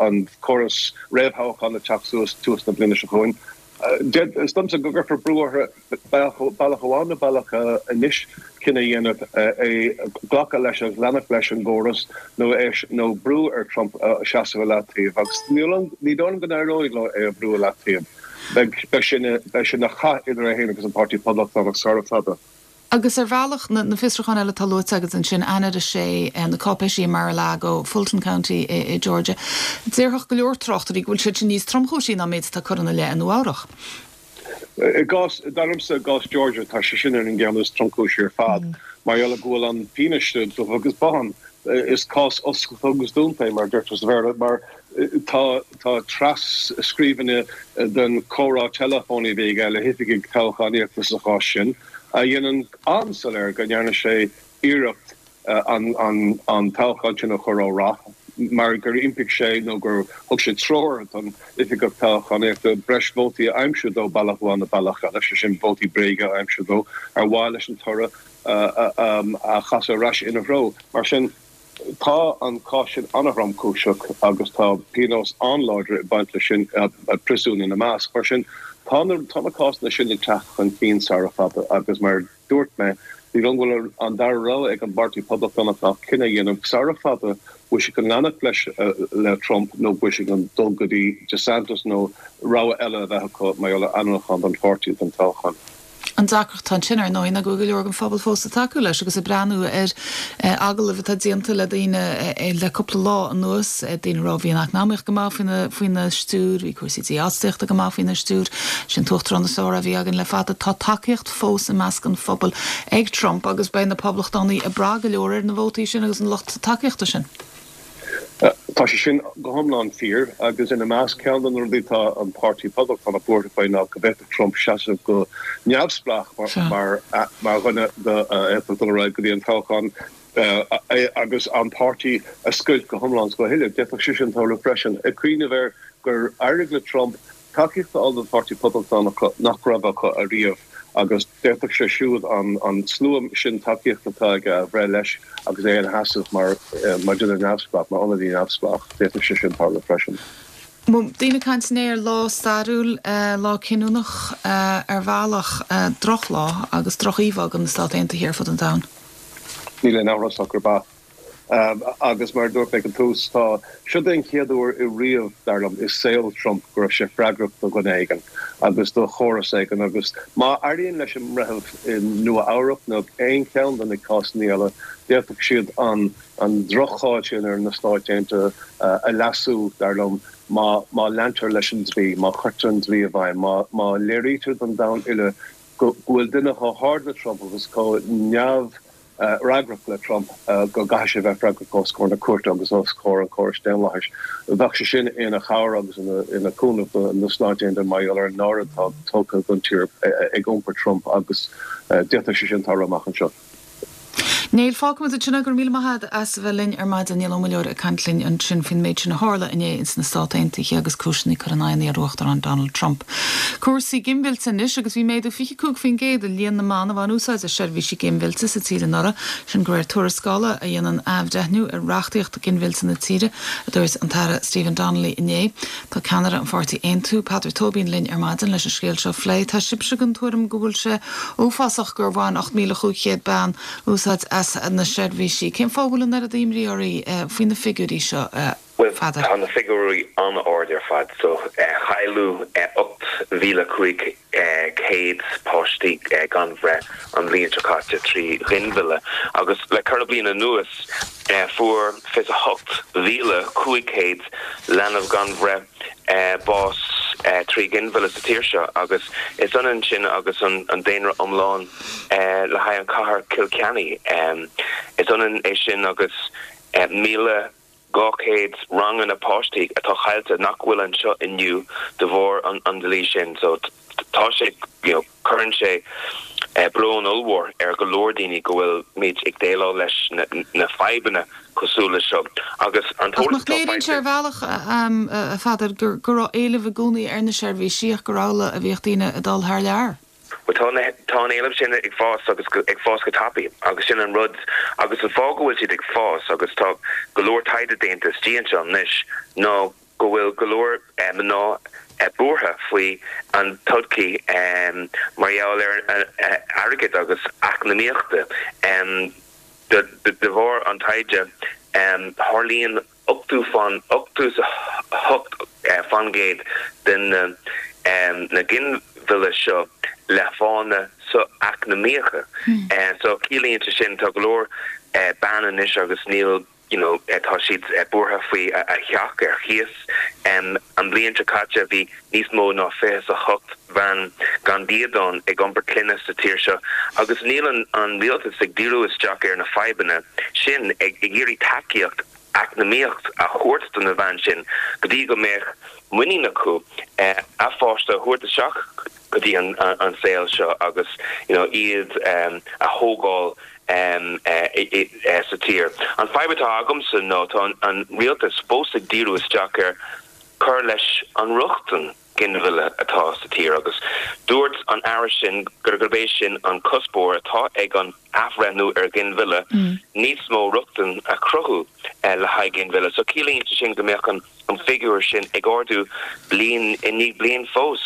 an córas réamhthoghcháin ag teacht suas tús na bliana seo chugainn. Is dóigh liomsa go gcuirfear brú orthu bealach amháin nó bealach eile anois cinneadh a dhéanamh é glacadh leis agus leanacht leis an gcóras nó é nó brú ar Trump seasamh i leataobh agus ní dóigh liom go n-éireoidh leo é a bhrú i leataobh. Beidh sé ina chath idir é féin agus an Páirtí Poblachtánach sara fada. Agus ar bhealach, na fiosrúcháin eile atá luaite agat ansin, Eanáir 6, na cáipéisí i Mar-a-Lago, Fulton County i Georgia, déarfadh go leor tráchtairí go bhfuil siad sin níos tromchúisí ná an méid atá curtha ina leith i Nua-Eabhrac. I gcás, dar liomsa, i gcás Georgia, tá sé sin ar an gceann is tromchúisí ar fad, mar gheall go bhfuil an fianaise dubh agus bán. Is cás oscailte agus dúnta é, mar a deirtear sa Bhéarla, mar tá tá tras-scríbhinní den chomhrá teileafóin a bhí aige le hoifigigh toghchánaíochta sa chás sin, a dhéanann an-soiléir go ndearna sé iarracht an toghchán sin a chur ó rath mar gur impigh sé nó gur thug sé treoir don oifigeach toghchánaíochta breis vótaí a aimsiú dó bealach amháin nó bealach eile, sé sin vótaí bréige a aimsiú dó ar mhaithe leis an toradh a chasadh ar ais ina threo. Mar sin. Tá an cás sin an-thromchúiseach agus tá pionós an-láidir ag baint leis sin, príosún ina measc. Mar sin, tá na tá na cásanna sin ag teacht chun cinn sara fada agus mar a dúirt mé, ní dóigh liom go bhfuil an dara rogha ag an bPáirtí Poblachtánach ach cinneadh a dhéanamh sara fada bhfuil siad chun leanacht leis le Trump nó bhfuil siad chun dul go dtí DeSantis nó rogha eile a bheith acu mar gheall ar ainmniúchán don pháirtí don toghchán. An deacracht atá ansin, ar ndóigh, ná go bhfuil go leor den phobal fós ag tacú leis agus ag breathnú ar agallaimh atá déanta le daoine le cúpla lá anuas, daoine a rá bhí an eacnamaíocht go maith faoina stiúir, bhí cúrsaí dífhostaíochta go maith faoina stiúir, sin t-uachtarán is fearr a bhí againn le fada. Tá tacaíocht fós i measc an phobail ag Trump agus beidh na Poblachtánaigh ag brath go leor ar na vótaí sin agus an lucht tacaíochta sin. Tá sé sin go hiomlán fíor agus ina measc, ceann de na rudaí atá an Páirtí Poblachtánach buartha faoi ná go bhféadfadh Trump seasamh go neamhspleách mar dhuine a fhéadfadh dul ar aghaidh go dtí an toghchán agus an páirtí a scoilt go hiomlán is go huile. D'fhéadfadh sé sin tarlú freisin. Ag cuimhneamh air gur éirigh le Trump tacaíocht a fháil don Pháirtí Poblachtánach nach raibh acu ariamh agus d'fhéadfadh sé siúd an slua sin tacaíochta atá aige a bhreith leis agus é ina sheasamh mar dhuine neamhspleách, mar ionadaí neamhspleách. D'fhéadfadh sé sin tarlú freisin. Daoine ag caint inné ar lá stairiúil, lá cinniúnach ar bhealach, drochlá agus droch-íomhá do na Stáit Aontaithe ar fud an domhain. Níl aon amhras ach gurb ea. Agus mar a dúirt mé ag an tús, tá, siod é an chéad uair i riamh, dar liom, i saol Trump go raibh sé freagrach do dhuine éigin agus do chóras éigin agus má éiríonn leis an mbreitheamh i Nua Eabhrac nó aon cheann de na cásanna eile, d'fhéadfadh siad an an droch-cháil sin ar na Stáit Aontaithe a leasú, dar liom, má má leantar leis an dlí, má chuirtear an dlí i bhfeidhm, má má léirítear don domhan uile go bhfuil duine chomh hard le Trump agus chomh neamh. fhreagrach le Trump, go gcaithfidh sé a bheith freagrach os comhair na cúirte agus os comhair an chórais daonlathais. Bheadh sé sin ina chabhair agus ina chúnamh do na Stáit Aontaithe mar gheall ar an náire atá tugtha don tír ag iompar Trump agus d'fhéadfadh sé sin tarlú amach anseo. Neil, fágfaimid ansin é. Go raibh míle maith agat as a bheith linn ar maidin. Niall Ó Muilleoir ag caint linn ansin faoin méid sin a tharla inné ins na Stát Aontaithe agus cúiseanna curtha in aghaidh an iar-Uachtaráin Donald Trump. Cúrsaí ginmhillte anois agus bhí méadú 25% i líon na mban a bhain úsáid as seirbhísí ginmhillte sa tír anuraidh, sin de réir tuarascála a dhéanann athbhreithniú ar reachtaíocht ginmhillte na tíre, a dúirt an tAire Stephen Donnelly inné. Tá ceannaire an pháirtí Aontú, Peadar Tóibín linn ar maidin leis an scéal seo a phlé. Tá sibhse den tuairim go bhfuil sé uafásach gur bhain 8,500 bean úsáid as na seirbhísí. Cén fáth a bhfuil an oiread imní oraibh faoi na figiúirí seo, a Bhuel, Pheadair? tá na figiúirí an-ard ar fad. So, cailleadh 8,500 páistí gan bhreith an bhliain seo caite trí ghinmhilleadh agus le ceithre bliana anuas, Fuair 28,500 leanbh gan bhreith bás trí ghinmhilleadh sa tír seo agus is ionann sin agus an daonra iomlán le haghaidh an chathair Cill Chainnigh. Is ionann é sin agus 1,200 ranganna páistí atá caillte nach bhfuil anseo inniu de bharr an dlí sin. So tá sé, you know, cuireann sé brón ollmhór ar go leor daoine go bhfuil muid ag déileáil leis na fadhbanna cosúil leis seo agus an Ach t-eolas nach atá léiríonn sé faighte. ar bhealach, a Pheadair, go raibh éileamh i gcónaí ar na seirbhísí ach gur amhlaidh a bhíodh daoine ag dul thar lear? Bhuel tá na, tá an éileamh sin ag fás agus ag fás go tapaidh agus sin an rud agus an fáth go bhfuil siad ag fás agus tá go leor taighde déanta istigh anseo anois ná go bhfuil go leor mná buartha faoi an todhchaí mar gheall ar airgead agus eacnamaíochta. De bharr an taighde, tarlaíonn 88% de na ginmhilleadh seo le fáthanna socheacnamaíocha. So ciallaíonn sé sin tá go leor bean anois agus níl you know tá siad buartha faoi a theach ar chíos. An bhliain seo caite bhí níos mó ná 28 bhean gan dídean ag iompar clainne sa tír seo agus níl an rialtas ag díriú isteach ar na fadhbanna sin, ag iarraidh tacaíocht eacnamaíocht a thabhairt do na bhean sin go dtí go mbeadh muinín acu a pháiste a thabhairt isteach go dtí an saol seo agus you know iad a thógáil sa tír. An fadhb atá agamsa ná tá an rialtas fós ag díriú isteach ar cur leis an rochtain ginmhilleadh atá sa tír agus dúirt an Aire sin gurb é sin an cuspóir atá ag an athbhreithniú ar ghinmhilleadh, níos mó rochtain a chruthú le haghaidh ginmhilleadh. So ciallaíonn sé sin go mbeadh an figiúr sin ag ardú bliain i ndiaidh bliain fós.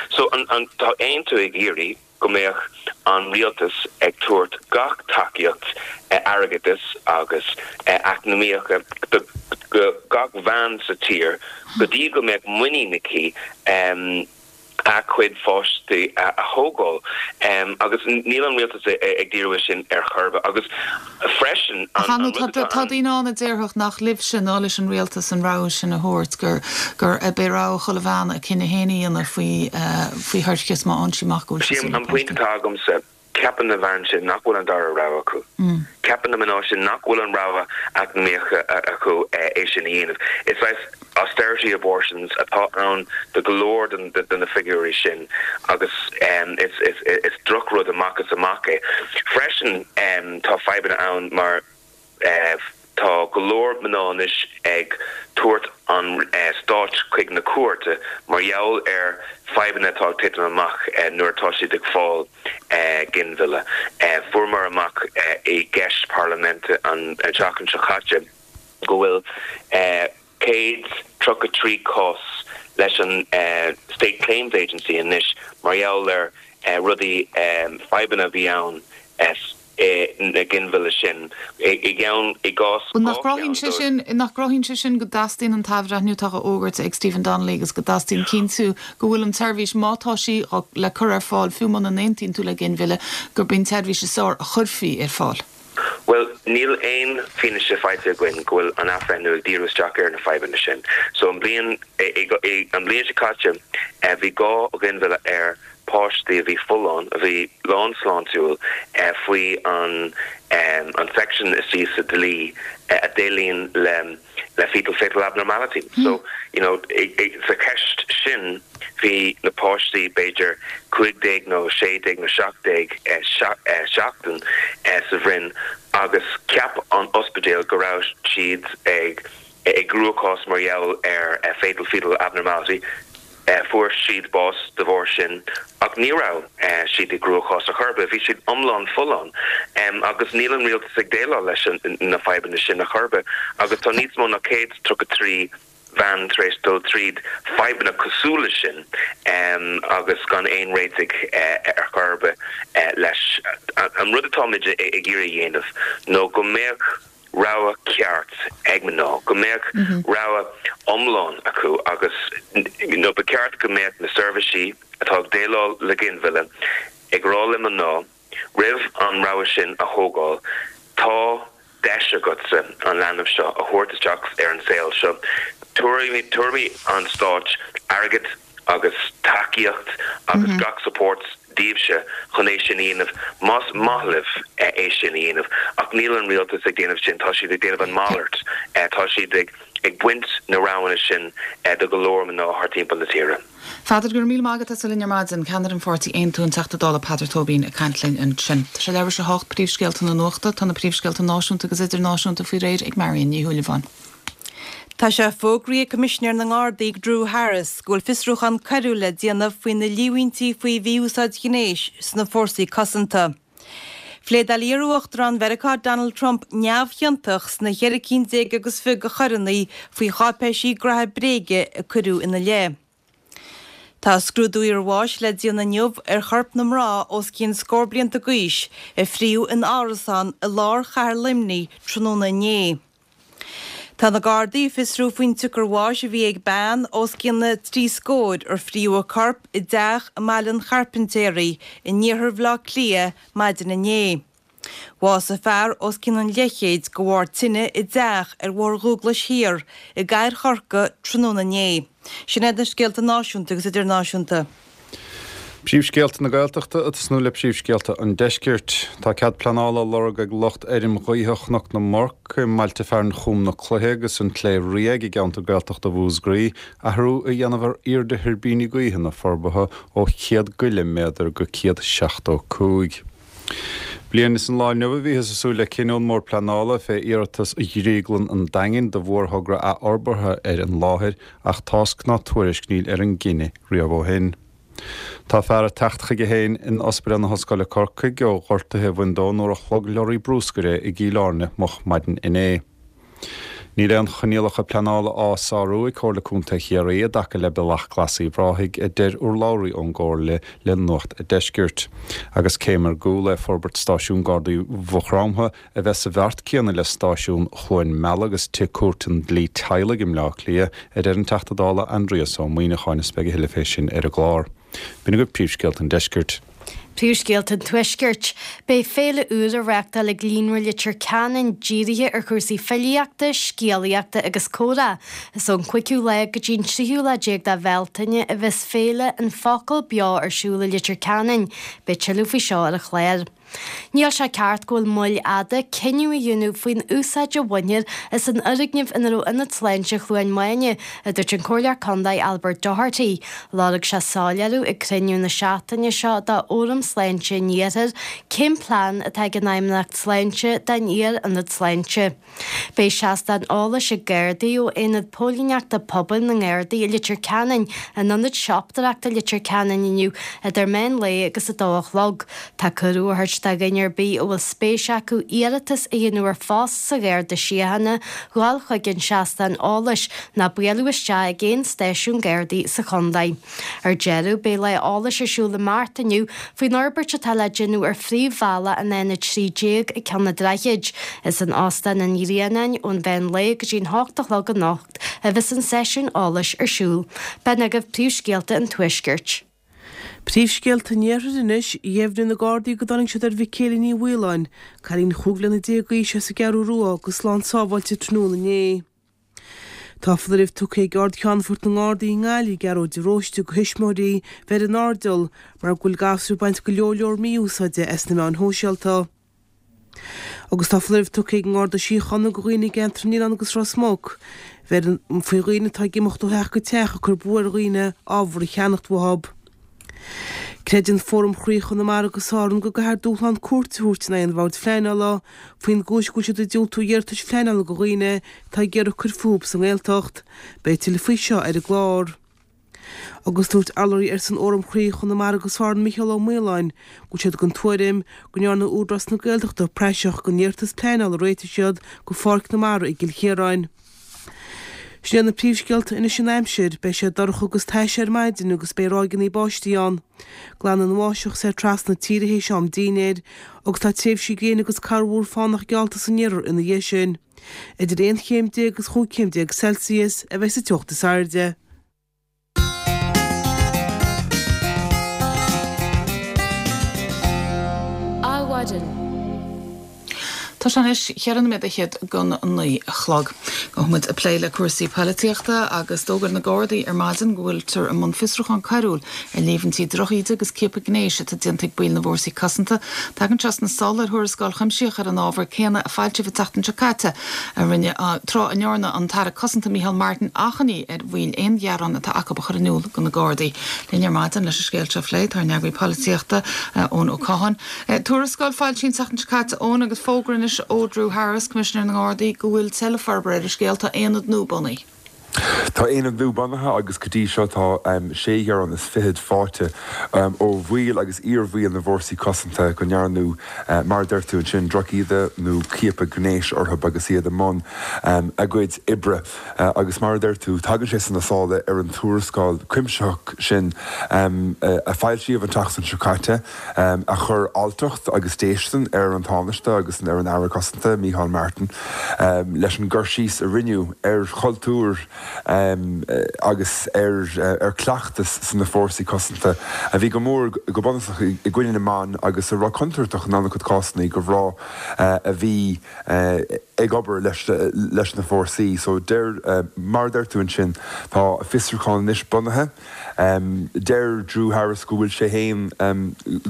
So tá Aontú ag iarraidh go mbeadh an rialtas ag tabhairt gach tacaíocht airgeadais agus eacnamaíocha do gach bhean sa tír go dtí go mbeadh muinín aici a cuid pháistí a thógáil agus níl an rialtas ag díriú air sin ar chor ar bith agus freisin Ach an rud atá tá ann. daoine ann a déarfadh nach libhse ná leis an rialtas an rogha sin a thabhairt, gur gur b'é rogha chuile bhean a cinneadh féin a dhéanamh faoi faoi thoircheas má fhaigheann sí amach go bhfuil sí Sé saor le an pointe páistí. atá agamsa, ceapann na bhean sin nach bhfuil an dara rogha acu. Ceapann na mná sin nach bhfuil an rogha eacnamaíocha acu é sin a dhéanamh. Is saghas austerity abortions atá ann do go leor de na figiúirí sin agus is drochrud amach is amach é. Freisin tá fadhbanna ann mar tá go leor mná anois ag tabhairt an stáit chuig na cúirte mar gheall ar fadhbanna atá ag titim amach nuair atá siad ag fáil ginmhilleadh. Fuaireamar amach i gceist parlaiminte an tseachtain seo caite go bhfuil 133 cás leis an State Claims Agency anois mar gheall ar rudaí, fadhbanna a bhí ann na ginmhilleadh sin. I gceann, i gcás Bhuel, nach 2 gcruthaíonn cheann sé dóibh. sin, nach gcruthaíonn sé sin go dteastaíonn an t-athbhreithniú atá á fhógairt ag Stephen Donnelly agus go dteastaíonn cinntiú go bhfuil an tseirbhís, má tá sí le cur ar fáil, fiú muna n-aontaíonn tú le ginmhilleadh, gurb í an tseirbhís is fearr a chuirfí ar fáil? Bhuel, níl aon fianaise faighte againn go bhfuil an athbhreithniú ag díriú isteach ar na fadhbanna sin. So an bhliain, an bhliain seo caite, bhí 2 ghinmhilleadh ar. páistí a bhí folláin, a bhí lán sláintiúil, faoi an an section istigh sa dlí a déileann le le fetal fatal abnormality. So, you know, sa cheist sin bhí na páistí b'fhéidir 15 nó 16 nó 17 seachtain sa bhroinn agus cheap an ospidéal go raibh siad ag i gcruachás mar gheall ar fatal fetal abnormality. Fuair siad bás de bharr sin ach ní raibh siad i gcruachás ar chor ar bith, bhí siad iomlán folláin. Agus níl an rialtas ag déileáil leis na fadhbanna sin ar chor ar bith agus tá níos mó ná 133 bhean tar éis dul tríd fadhbanna cosúil leis sin agus gan aon réitigh ar chor ar bith leis. An rud atáimid ag iarraidh a dhéanamh nó go mbeadh rogha ceart ag mná, go mbeadh rogha iomlán acu agus you know ba cheart go mbeadh na seirbhísí atá ag déileáil le ginmhilleadh ag rá le mná roimh an rogha sin a thógáil, tá deis agatsa an leanbh seo a thabhairt isteach ar an saol seo, tabharfaidh an stáit airgead agus tacaíocht agus gach support daoibhse chun é sin a dhéanamh más maith libh é sin a dhéanamh ach níl an rialtas ag déanamh sin, tá siad ag déanamh an malairt, tá siad ag ag baint na roghanna sin de go leor mná thart timpeall na tíre. Pheadair, go raibh míle maith agat as a bheith linn ar maidin. Ceannaire an pháirtí Aontú, an Teachta Dála Peadar Tóibín ag caint linn ansin. Tá sé leathuair tar éis a hocht, príomhscéalta na nuachta. Tá na príomhscéalta náisiúnta agus idirnáisiúnta faoi réir ag Marion Ní Shúilleabháin. Tá sé fógraithe ag Coimisinéir na nGardaí Drew Harris go bhfuil fiosrúchán coiriúil le déanamh faoi na líomhaintí faoi mhí-úsáid ghnéis sna fórsaí cosanta. Phléadáil iar-Uachtarán Mheiriceá Donald Trump neamhchiontach sna cheithre cinn déag agus fiche de choireanna faoi cháipéisí graithe bréige a cuireadh ina leith. Tá scrúdú iarbháis le déanamh inniu ar chorp na mná os cionn scór blianta d'aois a fríodh in árasán i lár chathair Luimnigh tráthnóna inné. Tá na Gardaí ag fiosrú faoin tsiocair bháis a bhí ag bean os cionn na dtrí scóir ar fríodh a corp i dteach i mBaile an Chairpintéaraigh in iarthar Bhaile Átha Cliath maidin inné. Bhásaigh fear os cionn an leathchéid de bharr tine i dteach ar Bhóthar Dhúglais Thiar i gcathair Chorcaí tráthnóna inné. Sin iad na scéalta náisiúnta agus idirnáisiúnta. Príomhscéalta na Gaeltachta ag tosnú le príomhscéalta an Deiscirt. Tá cead pleanála á lorg ag lucht fheirm ghaoithe Chnoc na Murc i mbailte fearainn Chúm na Cloiche agus an tSléibh Riabhaigh i gceantar Gaeltachta Mhúscraí athrú a dhéanamh ar airde thuirbíní gaoithe na forbartha ó 100 go leith méadar go 175. Bliain is an lá inniu a bhíothas ag súil le cinneadh ón mBord Pleanála fé iarratas Dhrioglann an Daingin do mhórthogra athfhorbartha ar an láthair ach tásc ná tuairisc níl ar an gcinneadh riamh ó shin. Tá fear ag teacht chuige féin in Ospidéal na hOllscoile Corcaigh ó ghortuithe a bhain dó nuair a shlog leoraí brúscair é i gCill Airne moch maidin inné. Níl aon choinníollacha pleanála á sárú ag Comhairle Contae Chiarraí i dtaca le Bealach Glas Uíbh Ráthaigh, a deir urlabhraí ón gComhairle le Nuacht a' Deiscirt. Agus céim ar gcúl é forbairt stáisiún Gardaí Mhaigh Chromtha a bheith sa bheart céanna le stáisiún Chluain Meala agus Tigh Cúirt an Dlí Teaghlaigh i mBleá Cliath, a deir an Teachta Dála Aindrias Ó Muíneacháin is beidh a thuilleadh fé sin ar an gclár. B'in agaibh príomhscéalta an deiscirt. Príomhscéalta an Tuaiscirt. Beidh féile úr á reáchtáil ag Líonra Leitir Ceanainn dírithe ar chúrsaí filíochta, scéalaíochta agus comhrá. Is ón cúigiú lá go dtí an tríú lá déag de Bhealtaine a bheas Féile An Focal Beo ar siúl i Leitir Ceanainn. Beidh tuilleadh faoi seo ar an chlár. Níl sé ceart go bhfuil moill fhada cinneadh a dhéanamh faoin úsáid a bhainfear as an fhoirgneamh ina raibh Ionad Sláinte Chluain Mháine, a dúirt an Comhairleoir Contae Albert Doherty. Lorg sé soiléiriú ag cruinniú na seachtaine seo de Fhóram Sláinte an Iarthair cén plean atá ag an Fheidhmeannacht Sláinte don iar-ionad sláinte. Beidh seastán eolais ag Gardaí ó Aonad Póilíneachta Pobail na nGardaí i Leitir Ceanainn in Ionad Siopadóireachta Leitir Ceanainn inniu idir meán lae agus 2 a chlog. Tá cuireadh á thabhairt do dhuine ar bith a bhfuil spéis acu iarratas a dhéanamh ar phost sa Gharda Síochána dhul chuig an seastán eolais nó bualadh isteach ag aon stáisiún Gardaí sa chontae. Ar deireadh, beidh lá eolais ar siúl i mBeart inniu faoin fhorbairt atá le déanamh ar phríomhbhealach an N13 ag Ceann an Droichid. Is in Óstán an Ghrianáin ón mheán lae go dtí an hocht a chlog anocht a bheas an seisiún eolais ar siúl. B'in agaibh príomhscéalta an Tuaiscirt. Príomhscéalta an Iarthair anois, Dheimhnigh na Gardaí go dtáinig siad ar Mhicéala Ní Mhaoláin, cailín chúig bhliana déag d'aois as an gCeathrú Rua, go slán sábháilte tráthnóna inné. Tá foláireamh tugtha ag Ard-Cheannfort na nGardaí i nGaillimh, Gearóid de Róiste, do thuismitheoirí bheith ar an airdeall mar go bhfuil gasúir ag baint go leor leor mí-úsáide as na meáin shóisialta. Agus tá foláireamh tugtha ag an nGarda Síochána do dhaoine i gceantar an Oileáin agus Ros Muc bheith faoi dhaoine atá ag imeacht ó theach go teach ag cur brú ar dhaoine ábhar a cheannacht uathub. Creideann Fóram Chroí Chonamara agus Árann go gcaithfear dúshlán cúirte a thabhairt in aghaidh an Bhoird Phleanála faoin gcúis go bhfuil siad ag diúltú iarratais phleanála do dhaoine atá ag iarraidh cur fúthub sa nGaeltacht. Beidh tuilleadh faoi seo ar an gclár. Agus dúirt urlabhraí ar son Fhóram Chroí Chonamara agus Árann Micheál Ó Maoláin go bhfuil siad den tuairim go ndearna Údarás na Gaeltachta praiseach den iarratas pleanála a réitigh siad do Pháirc na Mara i gCill Chiaráin. Sin iad na príomhscéalta anois an aimsir, beidh sé dorcha agus tais ar maidin agus beidh ráigeanna báistí ann. Glanfaidh an bháisteach soir trasna na tíre théis am dínnéir agus tá tréimhsí gréine agus corrmhúr fánach geallta san iarthar ina dhiaidh sin. Idir 11 chéim agus 15 chéim Celsius a bheidh sa teocht is airde. Adhmhaidin. Tá sé anois cheithre nóiméad fhichead gon 9 a chlog. Gabhfaidh muid ag plé le cúrsaí poilitíochta agus d'fhógair na Gardaí ar maidin go bhfuiltear i mbun fiosrúchán coiriúil ar líomhaintí drochíde agus ciapadh gnéis atá déanta ag baill na bhfórsaí cosanta. Tagann seo sna sála ar thuarascáil chuimsitheach ar an ábhar céanna a foilsíodh an tseachtain seo caite a rinne tráth a ndearna an tAire Cosanta Micheál Martin achainí ar bhaill aon ghearán atá acu a chur in iúl do na Gardaí. Linn ar maidin leis an scéal seo a phlé tá ár n-eagraí polaitíochta, Eoin Ó Catháin. Tuarascáil foilsithe an tseachtain seo caite, Eoin, agus fógra anois ó Drew Harris, Coimisinéir na nGardaí, go bhfuil tuilleadh forbartha ar an scéal. Tá aonad nua bunaithe. Tá aonad nua bunaithe agus go dtí seo tá sé ghearán is fichead faighte ó bhaill agus iar-bhaill na bhfórsaí cosanta go ndearnadh, mar a deir tú ansin, drochíde nó ciapadh gnéis orthu agus iad i mbun a gcuid oibre. Agus mar a deir tú, tagann sé sna sála ar an tuarascáil chuimsitheach sin a foilsíodh an tseachtain seo caite, a chuir alltacht agus déistin ar an Tánaiste agus ar an Aire Cosanta, Micheál Martin, leis an gcur síos a rinneadh ar chultúr agus ar chleachtas sna fórsaí cosanta a bhí go mór, go bunúsach, i gcoinne na mban agus a raibh contúirteach in an-chuid cásanna do mhná a bhí ag obair leis na fórsaí. So deir, mar a deir tú ansin, tá fiosrúchán anois bunaithe. Deir Drew Harris go bhfuil sé féin,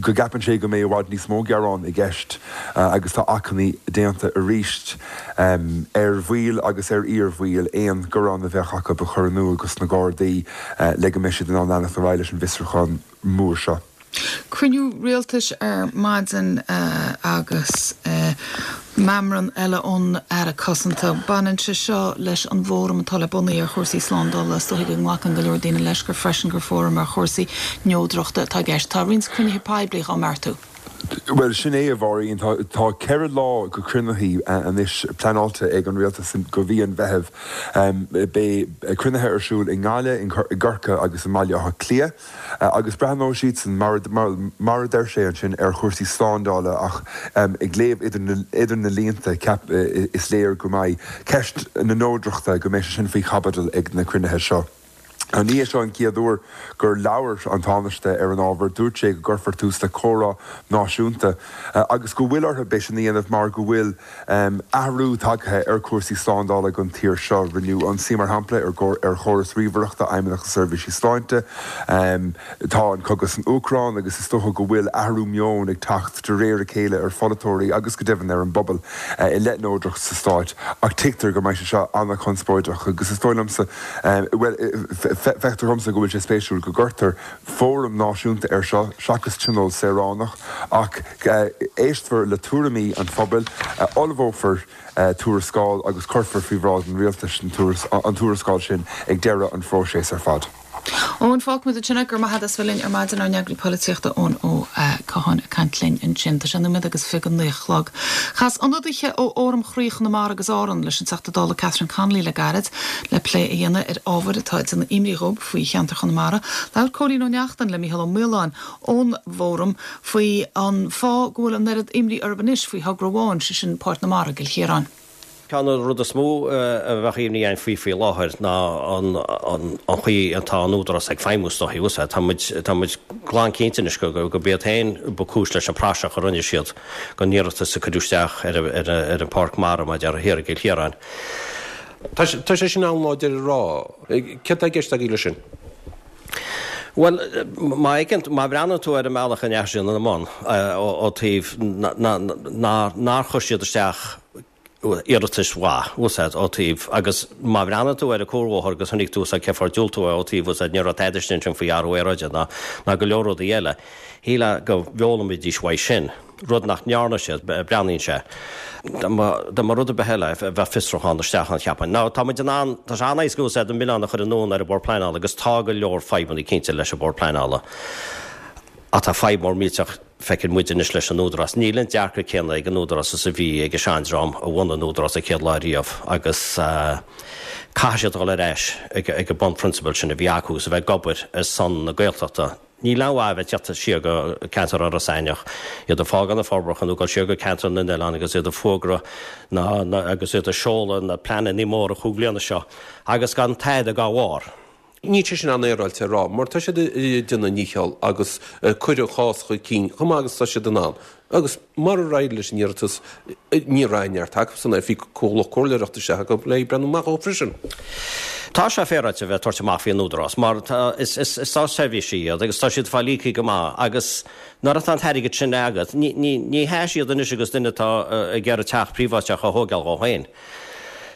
go gceapann sé go mbeidh i bhfad níos mó gearán i gceist agus tá achainí déanta arís ar bhaill agus ar iar-bhaill aon ghearán a bheadh acu a chur in iúl dos na Gardaí le go mbeidh siad in ann leanacht ar aghaidh leis an bhfiosrúchán mór seo. Cruinniú rialtais ar maidin agus meamram eile ón Aire Cosanta. Baineann sé seo leis an bhfóram atá le bunú ar chúrsaí slándála. Is dóigh go nglacann go leor daoine leis gur freisin gur fóram ar chúrsaí neodrachta atá i gceist. Tá roinnt cruinnithe poiblí á mbeartú. Bhuel, sin é, a Mháirín. Tá 4 lá de chruinnithe anois pleanáilte ag an Rialtas do mhí an Mheithimh. Beidh cruinnithe ar siúl i nGaillimh, i gCorcaigh agus i mBaile Átha Cliath. Agus breathnóidh siadsan, mar a deir sé ansin, ar chúrsaí slándála ach ag léamh idir na línte, is léir go mbeidh ceist na neodrachta, go mbeidh sé sin faoi chaibidil ag na cruinnithe seo. Ní hé seo an chéad uair gur labhair an Tánaiste ar an ábhar. Dúirt sé go gcuirfear tús le comhrá náisiúnta agus go bhfuil orthu é sin a dhéanamh mar go bhfuil athrú tagtha ar chúrsaí slándála don tír seo. Rinneadh ionsaí, mar shampla, ar chóras ríomhaireachta Fheidhmeannacht na Seirbhísí Sláinte. Tá an cogadh san Úcráin agus is dócha go bhfuil athrú meoin ag teacht de réir a chéile ar pholaiteoirí agus go deimhin ar an bpobal i leith neodracht sa stáit. Ach tuigtear go mbeidh sé seo an-chonspóideach agus is dóigh liomsa, bhuel, feictear dhomsa go bhfuil sé spéisiúil go gcuirtear fóram náisiúnta air seo seachas tionól saoránach ach éistfear le tuairimí an phobail, ullmhófar tuarascáil agus cuirfear faoi bhráid an rialtais an tuarascáil sin ag deireadh an phróiseas ar fad. Eoin, fágfaimid ansin é. Go raibh maith agat as bheith linn ar maidin, ár n-eagraí polaitíochta Eoin Ó Catháin ag caint linn ansin. Tá sé nóiméad agus 29 a chlog. Chas ionadaithe ó Fhóram Chroí Chonamara agus Árann leis an Teachta Dála Catherine Connolly le gairid le plé a dhéanamh ar ábhair atá ag déanamh imní dhóibh faoi cheantar Chonamara. Labhair Cóilín Ó Neachtain le Mícheál Ó Maoláin ón bhFóram faoi an fáth go bhfuil an oiread imní orthu anois faoi thogra amháin, sé sin Páirc na Mara i gCill Chiaráin. Ceann de na rudaí is mó a bheadh imní againn faoi faoi láthair ná an chaoi atá an Údarás ag feidhmiú is dóichí. Tá muid, tá muid glan cinnte anois gurb iad féin ba cúis leis an praiseach a rinne siad den iarratas a cuireadh isteach ar an Pháirc Mara mar a déarfá thiar i gCill Chiaráin. Tá sé sin an-láidir a rá. Céard tá i gceist agaibh leis sin? Bhuel, má fheiceann, má bhreathnaíonn tú ar an mbealach a ndeachaigh siad ina mbun ó taobh nár chuir siad isteach iarratais mhaith, úsáid, ó taobh, agus má bhreathnaíonn tú ar an cuarbhóthar agus chonaic tú úsáid cé fáth ar diúltú é ó taobh úsáid ní raibh tada istigh ansin faoi athrú aeráide ná ná go leor rudaí eile. Shílfeá go bhfoghlaimeoidís uaidh sin. rud nach ndearna siad, breathnaíonn sé. Dá mba rud ar bith eile, bheadh fiosrúchán isteach ann, cheapfainn. Now, tá muid in ann, tá sé an-éasca úsáid an milleán a chur anonn ar an Bhord Pleanála agus tá go leor fadhbanna cinnte leis an Bhord Pleanála. Ach tá fadhb mór millteach, feiceann muid anois leis an Údarás. Níl an dearcadh céanna ag an Údarás is a bhí ag an seandream a bhunaigh an Údarás an chéad lá riamh agus caithfidh siad dul ar ais ag an bunphrionsabal sin a bhí acu agus a bheith ag obair ar son na Gaeltachta. Níl aon mhaith a bheith ag teacht siar go ceantar Iorras Aithneach, iad ag fágáil na forbartha nó ag dul siar go ceantar na n-oileán agus iad ag fuagra na, na, agus iad ag seoladh na pleananna móra chúig bhliana seo agus gan tada dá bharr. Níl sé sin an-fhéaráilte a rá mar tá siad ag déanamh a ndícheall agus ag cur an chás chun cinn chomh maith agus atá siad in ann. Agus murar éirigh leis an iarratas, ní raibh neart acusan air, bhí comhlacht comhairleoireachta isteach acu le breathnú amach dhó freisin. Tá sé féaráilte a bheith ag tabhairt amach faoi an Údarás mar tá, is, is, is státseirbhísigh iad agus tá siad ag fáil íoctha go maith agus nuair atá an t-airgead sin agat, ní, ní, ní hea siad anois agus duine atá ag iarraidh teach príobháideach a thógáil dhó féin.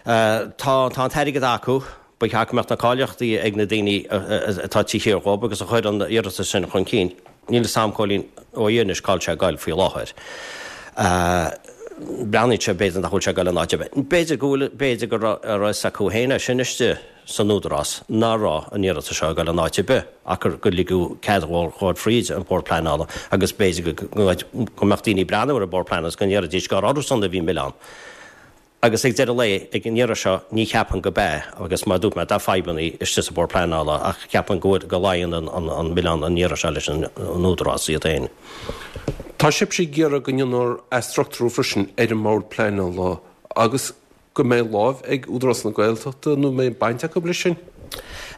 Tá, tá an t-airgead acu. Ba cheart go mbeadh na cáilíochtaí ag na daoine atá taobh thiar dhóibh agus a chuir an iarratas sin chun cinn. Níl fhios a'm Cóilín Ó anois cá bhfuil sé ag goil faoi láthair. Breathnaíonn sé b'fhéidir nach bhfuil sé ag goil in áit ar bith. B'fhéidir go bhfuil, b'fhéidir go raibh a fhios acu féin é sin istigh san Údarás nach raibh an iarratas seo ag goil in áit ar bith ach gur gur ligeadh cead dhóibh fríd an Bord Pleanála agus b'fhéidir go go mbeadh daoine ag breathnú ar an Bord Pleanála agus go ndéarfaidís gur orthusan a bhí an milleán. Agus ag deireadh lae, ag an iarraidh seo, ní cheapaim go b'ea, agus mar a dúirt mé, tá fadhbanna istigh sa Bhord Pleanála ach ceapaim go bhfuil, go luíonn an milleán an iarraidh seo leis an Údarás iad féin. Tá sibhse ag iarraidh go ndéanfar athstruchtúrú freisin ar an mBord Pleanála agus go mbeidh láimh ag Údarás na Gaeltachta nó mbeidh baint acu leis sin?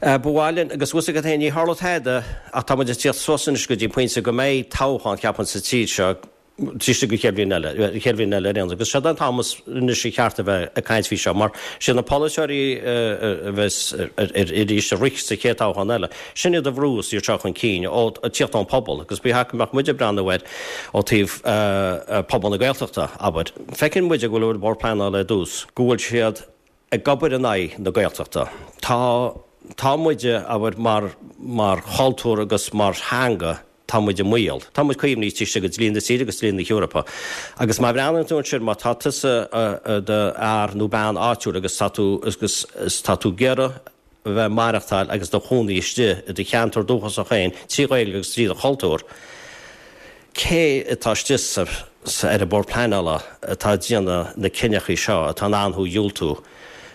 Ba mhaith linn, agus bhfuil fhios agat féin, ní tharlóidh tada ach tá muid ag tíocht suas anois go dtí an pointe go mbeidh toghchán, ceapaim, sa tír seo, taobh istigh den chéad bhliain eile, an chéad bhliain eile ar aon nós. Agus seo an t-am anois a cheart a bheith ag caint faoi seo, mar siad na polaiteoirí a bheas arís ag rith sa chéad toghchán eile, sin iad a bhrús iad seo chun cinn, ó tíocht ón pobal. Agus ba cheart go mbeadh muid ag breathnú air ó taobh pobal na Gaeltachta, abair. Feiceann muid go bhfuil an Bord Pleanála ar dtús, go bhfuil siad ag obair in aghaidh na Gaeltachta. Tá, tá muide, abair, mar, mar chultúr agus mar theanga, tá muid i mbaol. Tá muid caomhnaithe taobh istigh de dlí na tíre agus dlí na hEorpa. Agus má bhreathnaíonn tú ansin, má tá tusa i do fhear nó bean áitiúil agus tá tú, agus tá tú ag iarraidh a bheith ag maireachtáil agus do chónaí istigh i do cheantar dúchasach féin trí Ghaeilge agus trí do chultúr, Cé atá istigh sa ar an Bhord Pleanála atá ag déanamh na cinneachaí seo atá in ann thú a dhiúltú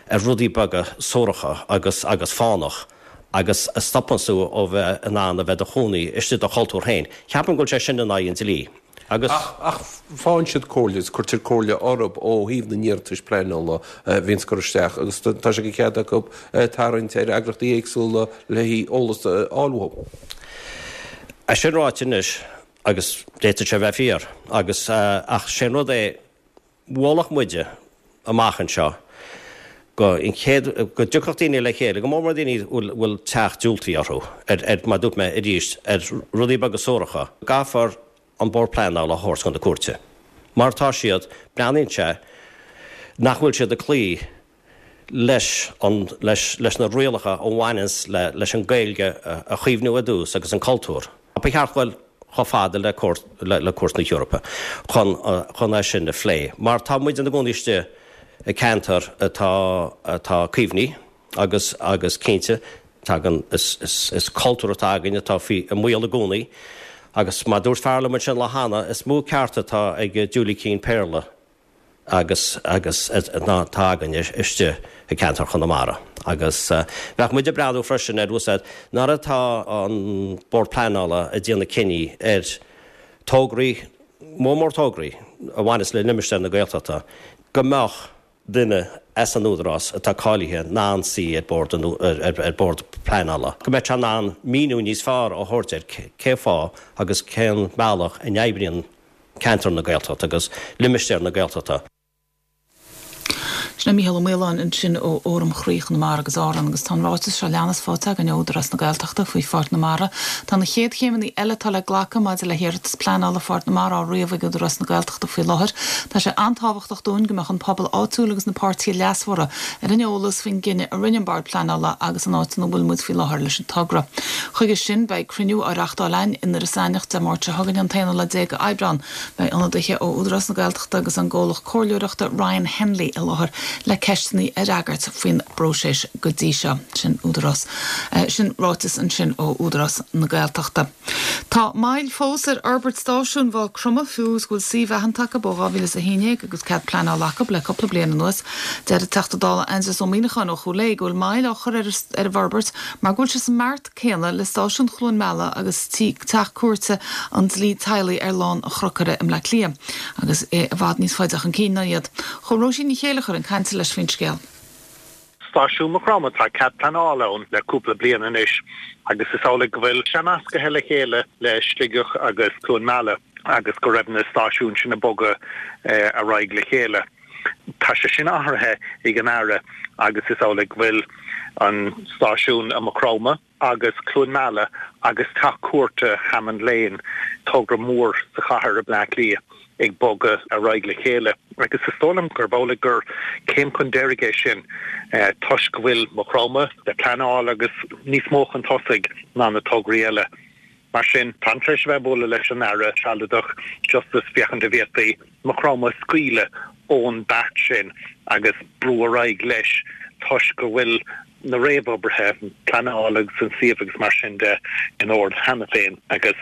ar rudaí beaga suaracha agus agus fánach agus a stopanns tú ó bheith in ann a bheith do chónaí istigh i do chultúr féin. Ceapaim go bhfuil sé sin in aghaidh an dlí agus. Ach faigheann siad comhairle agus cuirtear comhairle orthu ó thaobh na n-iarratais pleanála a bhíonns curtha isteach agus tá sé de chead acu tarraingt ar eagrachtaí éagsúla le haghaidh eolas a fháil uathu. É sin ráite anois, agus d'fhéadfadh sé a bheith fíor, agus, ach sé an rud é, mholfadh muide amach anseo go an chéad, go dtiocfadh daoine le chéile, go mór mór daoine a bhfuil, bhfuil teach diúltaithe orthu, ar, ar, mar a dúirt mé arís, ar rudaí beaga suaracha, caithfear an Bord Pleanála a thabhairt chun na cúirte. Mar tá siad, breathnaíonn sé nach bhfuil siad ag cloí leis an, leis, leis na rialacha a bhaineanns le, leis an Gaeilge a chaomhnú ar dtús agus an cultúr. Ba cheart dul chomh fada le cúirt, le, le Cúirt na hEorpa chun, chun é sin a phlé. Mar tá muid ina gcónaí istigh i ceantar atá, atá caomhnaithe agus, agus cinnte tagann, is, is, is cultúr atá againn atá faoi, i mbaol i gcónaí agus mar dúirt fear liom ansin lá cheana, is mó ceart atá ag Julie Keane Péarla agus agus ná atá againne istigh i gceantar Chonamara. Agus bheadh muid ag breathnú freisin ar úsáid nuair atá an Bord Pleanála ag déanamh cinní ar tograí, mór mór tograí a bhaineas le limistéar na Gaeltachta, go mbeadh duine as an Údarás atá cáilithe in ann suí ar bord ar bord pleanála, go mbeadh sé in ann míniú níos fearr a thabhairt ar cé fáth agus cén bealach a n-oibríonn ceantar na Gaeltachta agus limistéar na Gaeltachta. Sin é Mícheál Ó Maoláin ansin ó Fhóram Chroí Chonamara agus Árann agus tá an ráiteas seo leanas faighte againn ó Údarás na Gaeltachta faoi Pháirc na Mara. Tá na chéad chéimeanna eile atá le glacadh maidir le hiarratas pleanála Pháirc na Mara á ríomh ag Údarás na Gaeltachta faoi láthair. Tá sé an-tábhachtach dúinn go mbeadh an pobal áitiúil agus na páirtithe leasmhara ar an eolas faoin gcinneadh a rinne an Bord Pleanála agus an áit ina bhfuil muid faoi láthair leis an togra. Chuige sin, beidh cruinniú á reachtáil againn i nDoire Eidhneach Dé Máirt seo chugainn, an t-aonú lá déag Aibreán. Beidh ionadaithe ó Údarás na Gaeltachta agus an gcomhlacht comhairleoireachta Ryan Henley i láthair le ceisteanna a fhreagairt faoin bpróiseas go dtí seo. Sin Údarás. Sin ráiteas ansin ó Údarás na Gaeltachta. Tá moill fós ar fhorbairt stáisiún Mhaigh Chromtha, fiú is go bhfuil suíomh aitheanta acu ó 2011 agus cead pleanála acu le cúpla bliain anuas. Deir an Teachta Dála Aindrias Ó Muimhneacháin ó Chúil Aodha go bhfuil moill á chur ar an bhforbairt mar go bhfuil sé sa mbeart céanna le stáisiún Chluain Meala agus Teach Cúirte an Dlí Teaghlaigh ar Lán an Chnocaire i mBleá Cliath agus é i bhfad níos faide chun cinn ná iad. Chuaigh Róisín Ní Chéilleachair chun cainte leis faoin scéal. Stáisiún Mhaigh Chromtha, tá cead pleanála ann le cúpla bliain anois agus is amhlaidh go bhfuil sé nascaithe le chéile le Sligeach agus Cluain Meala agus go raibh na stáisiúin sin ag bogadh ar aghaidh le chéile. Tá sé sin athraithe ag an Aire agus is amhlaidh go bhfuil an stáisiún i Maigh Chromtha agus Cluain Meala agus Teach Cúirte Hammond Lane, togra mór sa chathair i mBleá Cliath, ag bogadh ar aghaidh le chéile. Agus is dóigh liom gurb amhlaidh gur céim chun deiridh é sin toisc go bhfuil Maigh Chromtha le pleanáil agus níos mó chun tosaigh ná na tograí eile. Mar sin, táim tar éis a bheith ag bualadh leis an Aire sealadach Justice féachaint an bhféadfaí Maigh Chromtha a scaoileadh ón beart sin agus brú ar aghaidh leis toisc go bhfuil na réamhoibrithe, pleanáil agus an suíomh agus mar sin de in ord cheana féin agus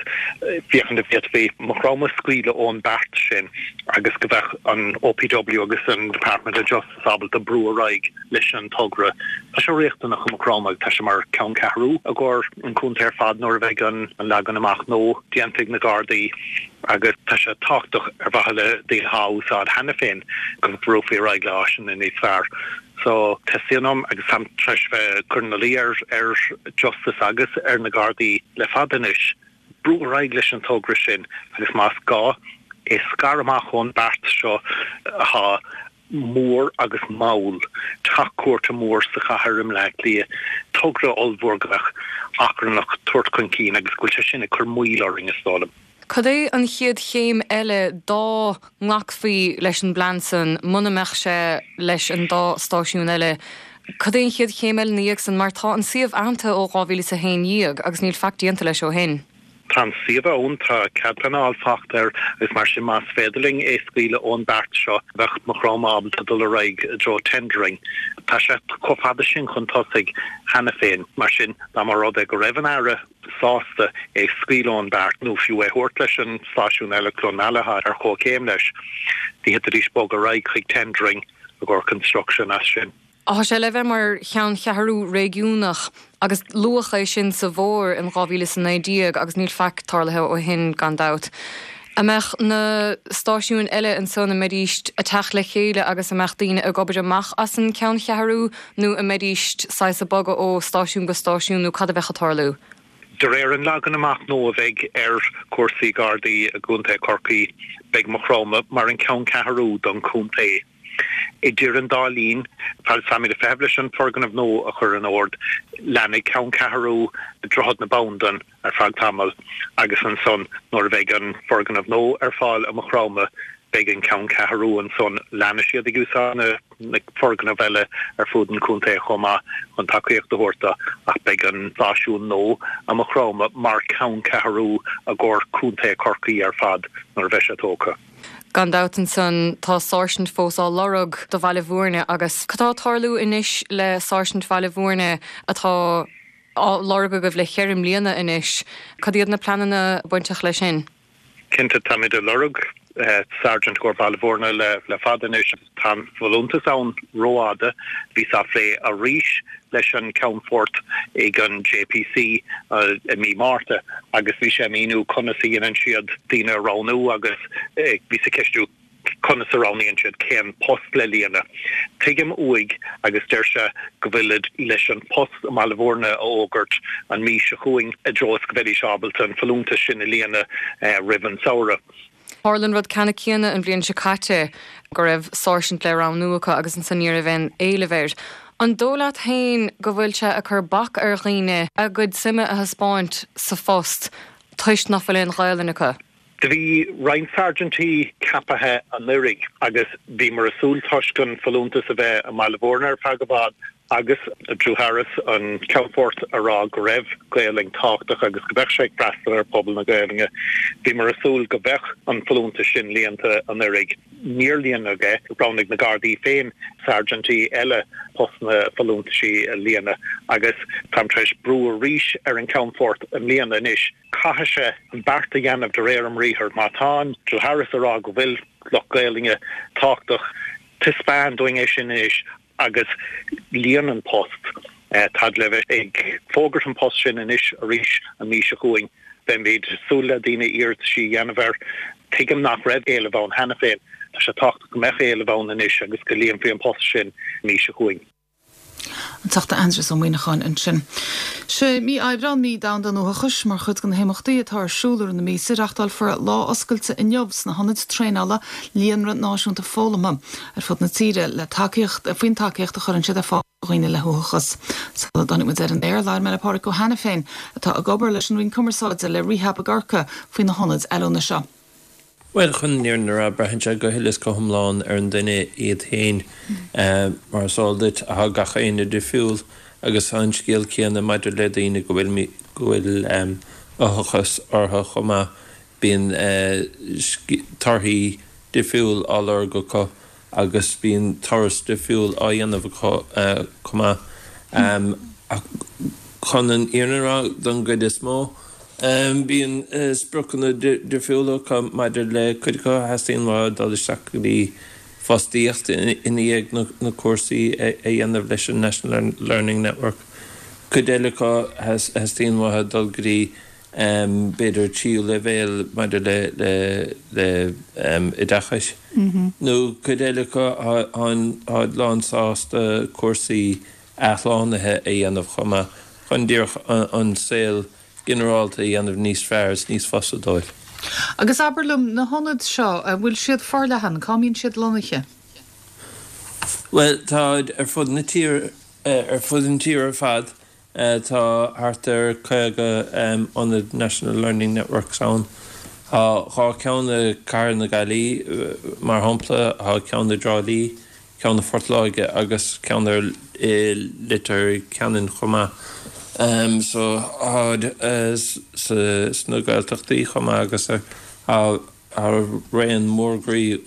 féachaint an bhféadfaí Maigh Chromtha a scaoileadh ón beart sin agus go mbeadh an OPW agus an Department of Justice ábalta brú ar aghaidh leis an togra. Tá sé riachtanach i Maigh Chromtha agus tá sé mar ceanncheathrú i gcomhair an chontae ar fad nuair a bheidh an leagan amach nua déanta ag na Gardaí agus tá sé tábhachtach ar mhaithe le daoine atá á úsáid cheana féin go mbrúfaí ar aghaidh le áiseanna níos fearr. So, teastaíonn uaim, agus táim tar éis bheith ag cur ina luí ar ar Justice agus ar na Gardaí le fada anois, brú ar aghaidh leis an togra sin agus más gá, é a scaradh amach ón beart seo atá mór agus mall, teach cúirte mór sa chathair i mBleá Cliath, togra ollmhór go mbeadh achrannach tabhairt chun cinn agus go bhfuil sé sin ag cur moill orainn, is dóigh liom. Cad é an chéad chéim eile dá nglacfaí leis an bplean san, muna mbeadh sé leis an dá stáisiún eile? Cad é an chéad chéim eile ina dhiaidh san, mar tá an suíomh aitheanta ó 2011 agus níl faic déanta leis ó shin? Tá an suíomh ann, tá cead pleanála faighte air agus mar sin más féidir linn é a scaoileadh ón beart seo bheadh Maigh Chromtha ábalta dul ar aghaidh i dtreo tendering. Tá sé chomh fada sin chun tosaigh cheana féin, mar sin dá mba rud é go raibh an Aire sásta é a scaoileadh ón beart nó fiú é a thabhairt leis an stáisiún eile, Cluain Meala, atá ar chomhchéim leis, d'fhéadfaidís bogadh ar aghaidh chuig tendering i gcomhair construction as sin. Tá sé le bheith mar cheanncheathrú réigiúnach agus luadh é sin sa bhfómhar in 2019 agus níl faic tarlaithe ó shin gan dabht. An mbeadh na stáisiúin eile ansan, an mbeidíst ag teacht le chéile agus an mbeadh daoine ag obair amach as an ceanncheathrú nó an mbeidíst saghas ag bogadh ó stáisiún go stáisiún nó cad a bheadh ag tarlú? De réir an leagan amach nua a bheidh ar chúrsaí Gardaí i gContae Chorcaí, beidh Maigh Chromtha mar an ceanncheathrú don chontae. Idir an dá linn, fad is táimid ag feitheamh leis an foirgneamh nua a chur in ord, leanfaidh ceanncheathrú Droichead na Bandan ar feadh tamaill agus ansan nuair a bheidh an foirgneamh nua ar fáil i Maigh Chromtha, beidh an ceanncheathrú ansan. Leanfaidh siad ag úsáid na foirgnimh eile ar fud an chontae chomh maith chun tacaíocht a thabhairt do ach beidh an stáisiún nua i Maigh Chromtha mar cheanncheathrú i gcomhair Contae Chorcaí ar fad nuair a bheidh sé tógtha. Gan dabht ansan tá sáirsint fós á lorg do Bhaile Bhúirne agus cad tá ag tarlú anois le sáirsint Bhaile Bhúirne atá á lorg agaibh le cheithre mbliana anois? Cad iad na pleananna bainteach leis sin? Cinnte, táimid ag lorg Sergeant i gcomhair Baile Bhúirne le fada anois. Tá an folúntas ann rófhada. Bhíos á phlé arís leis an Ceannfort ag an JPC i mí Márta agus bhí sé ag míniú conas a dhéanann siad daoine a roghnú agus bhíos ag ceistiú conas a roghnaíonn siad cén post le líonadh. Tuigim uaidh agus deir sé go bhfuilid leis an post i mBaile Bhúirne a fhógairt an mhí seo chugainn i dtreo is go mbeidís ábalta an folúntas sin a líonadh roimh an samhradh. Tharla an rud ceannann céanna an bhliain seo caite, go raibh sáirsint le roghnú acu agus ansan ní raibh aon éileamh air. An dóigh leat féin go bhfuil sé ag cur bac ar dhaoine a gcuid suime a thaispeáint sa phost toisc nach bhfuil aon Ghaelainn acu? Do bhí roinnt sáirsintí ceapaithe anuiridh agus bhíomar ag súil toisc an folúntas a bheith i mBaile Mhúirne ar feadh i bhfad agus Drew Harris, an Ceannfort, a rá go raibh Gaelainn tábhachtach agus go mbeadh sé ag freastal ar phobal na Gaelainne. Bhíomar ag súil go mbeadh an folúntas sin líonta anuiridh. Níor líonadh é. Roghnaigh na Gardaí féin sáirsintí eile postanna folúntaisí a líonadh agus táim tar éis brú arís ar an Ceannfort i mbliana anois. Caithfidh sé an beart a dhéanamh de réir a mbriathair. Má tá Drew Harris ag rá go bhfuil lucht Gaelainne tábhachtach, taispeáin dúinn é sin anois agus líon an post. Táid le bheith ag fógairt an post sin anois arís an mhí seo chugainn. Beimid ag súil le daoine iarrataisí a dhéanamh air. Tuigim nach raibh éileamh ann cheana féin. Tá sé tábhachtach go mbeadh éileamh ann anois agus go líonfaí an post sin an mhí seo chugainn. An Teachta Aindrias Ó Muimhneacháin ansin. Sé mí Aibreán mí domhanda an uathachais. Mar chuid de na himeachtaí atá ar siúl i rith na míosa, reachtálfar lá oscailte inniu sna hionaid traenála Líonra Náisiúnta Foghlamtha ar fud na tíre le tacaíocht faoin tacaíocht a chuireann siad ar fáil do dhaoine le huathachas. Sula dtáinig muid ar an aer, labhair mé le Pádraic Ó hAiniféin, atá ag obair leis an Roinn Cumarsáide le Rehab i gCorcaigh, faoi na hionaid oiliúna seo. Bhuel, chun an fhírinne a rá, braitheann sé go huile is go hiomlán ar an duine iad féin. Mar is eol duit, tá gach éinne difriúil agus tá an scéal céanna maidir le daoine go bhfuil go bhfuil uathachas orthu chomh maith, bíonn torthaí difriúil á lorg acu agus bíonn turas difriúil á dhéanamh acu chomh maith. Ach chun an fhírinne a rá, don gcuid is mó, bíonn spriocanna difriúla acu maidir le cuid acu a theastaíonn uathu dul isteach go dtí fostaíocht i ndiaidh na cúrsaí a dhéanamh leis an National Learning Network. Cuid eile acu theastaíonn uathu dul go dtí b'fhéidir tríú leibhéal maidir le le oideachais, nó cuid eile acu táid lán sásta cúrsaí athshlánaithe a dhéanamh chomh maith chun díreach an saol ginearálta a dhéanamh níos fearr is níos fusa dóibh. Agus abair liom, na hionaid seo, an bhfuil siad forleathan? Cá mbíonn siad lonnaithe? Bhuel, táid ar fud na tíre, ar fud an tíre ar fad. Tá thart ar 50 ionad National Learning Networks ann. Tá 2 ceann i gCathair na Gaillimhe, mar shampla, tá ceann i dTrá Lí, ceann i Phort Láirge agus ceann ar i Leitir Ceanainn chomh maith. So táid sna Gaeltachtaí chomh maith agus tá raon mór groí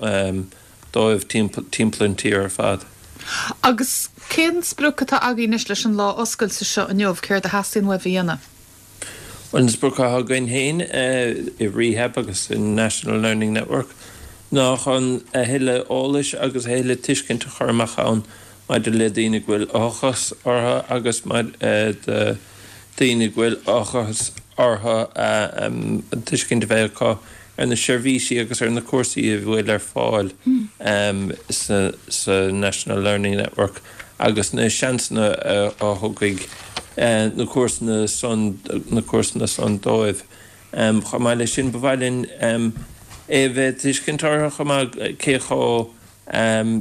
dóibh timpeall an tír ar fad. Agus cén sprioc atá agaibh anois leis an lá oscailte seo inniu, céard a theastaíonn uaibh a dhéanamh? Bhuel, an sprioc atá againn féin i Rehab agus in National Learning Network ná chun a thuilleadh eolais agus a thuilleadh tuiscint a chur amach ann maidir le daoine go bhfuil uathachas orthu agus do daoine go bhfuil uathachas orthu an tuiscint a bheith acu ar na seirbhísí agus ar na cúrsaí a bhfuil ar fáil sa National Learning Network agus na seansanna a thugfaidh na cúrsanna san na cúrsanna san dóibh. Chomh maith leis sin, ba mhaith linn é a bheith tuiscint orthu chomh maith cé chomh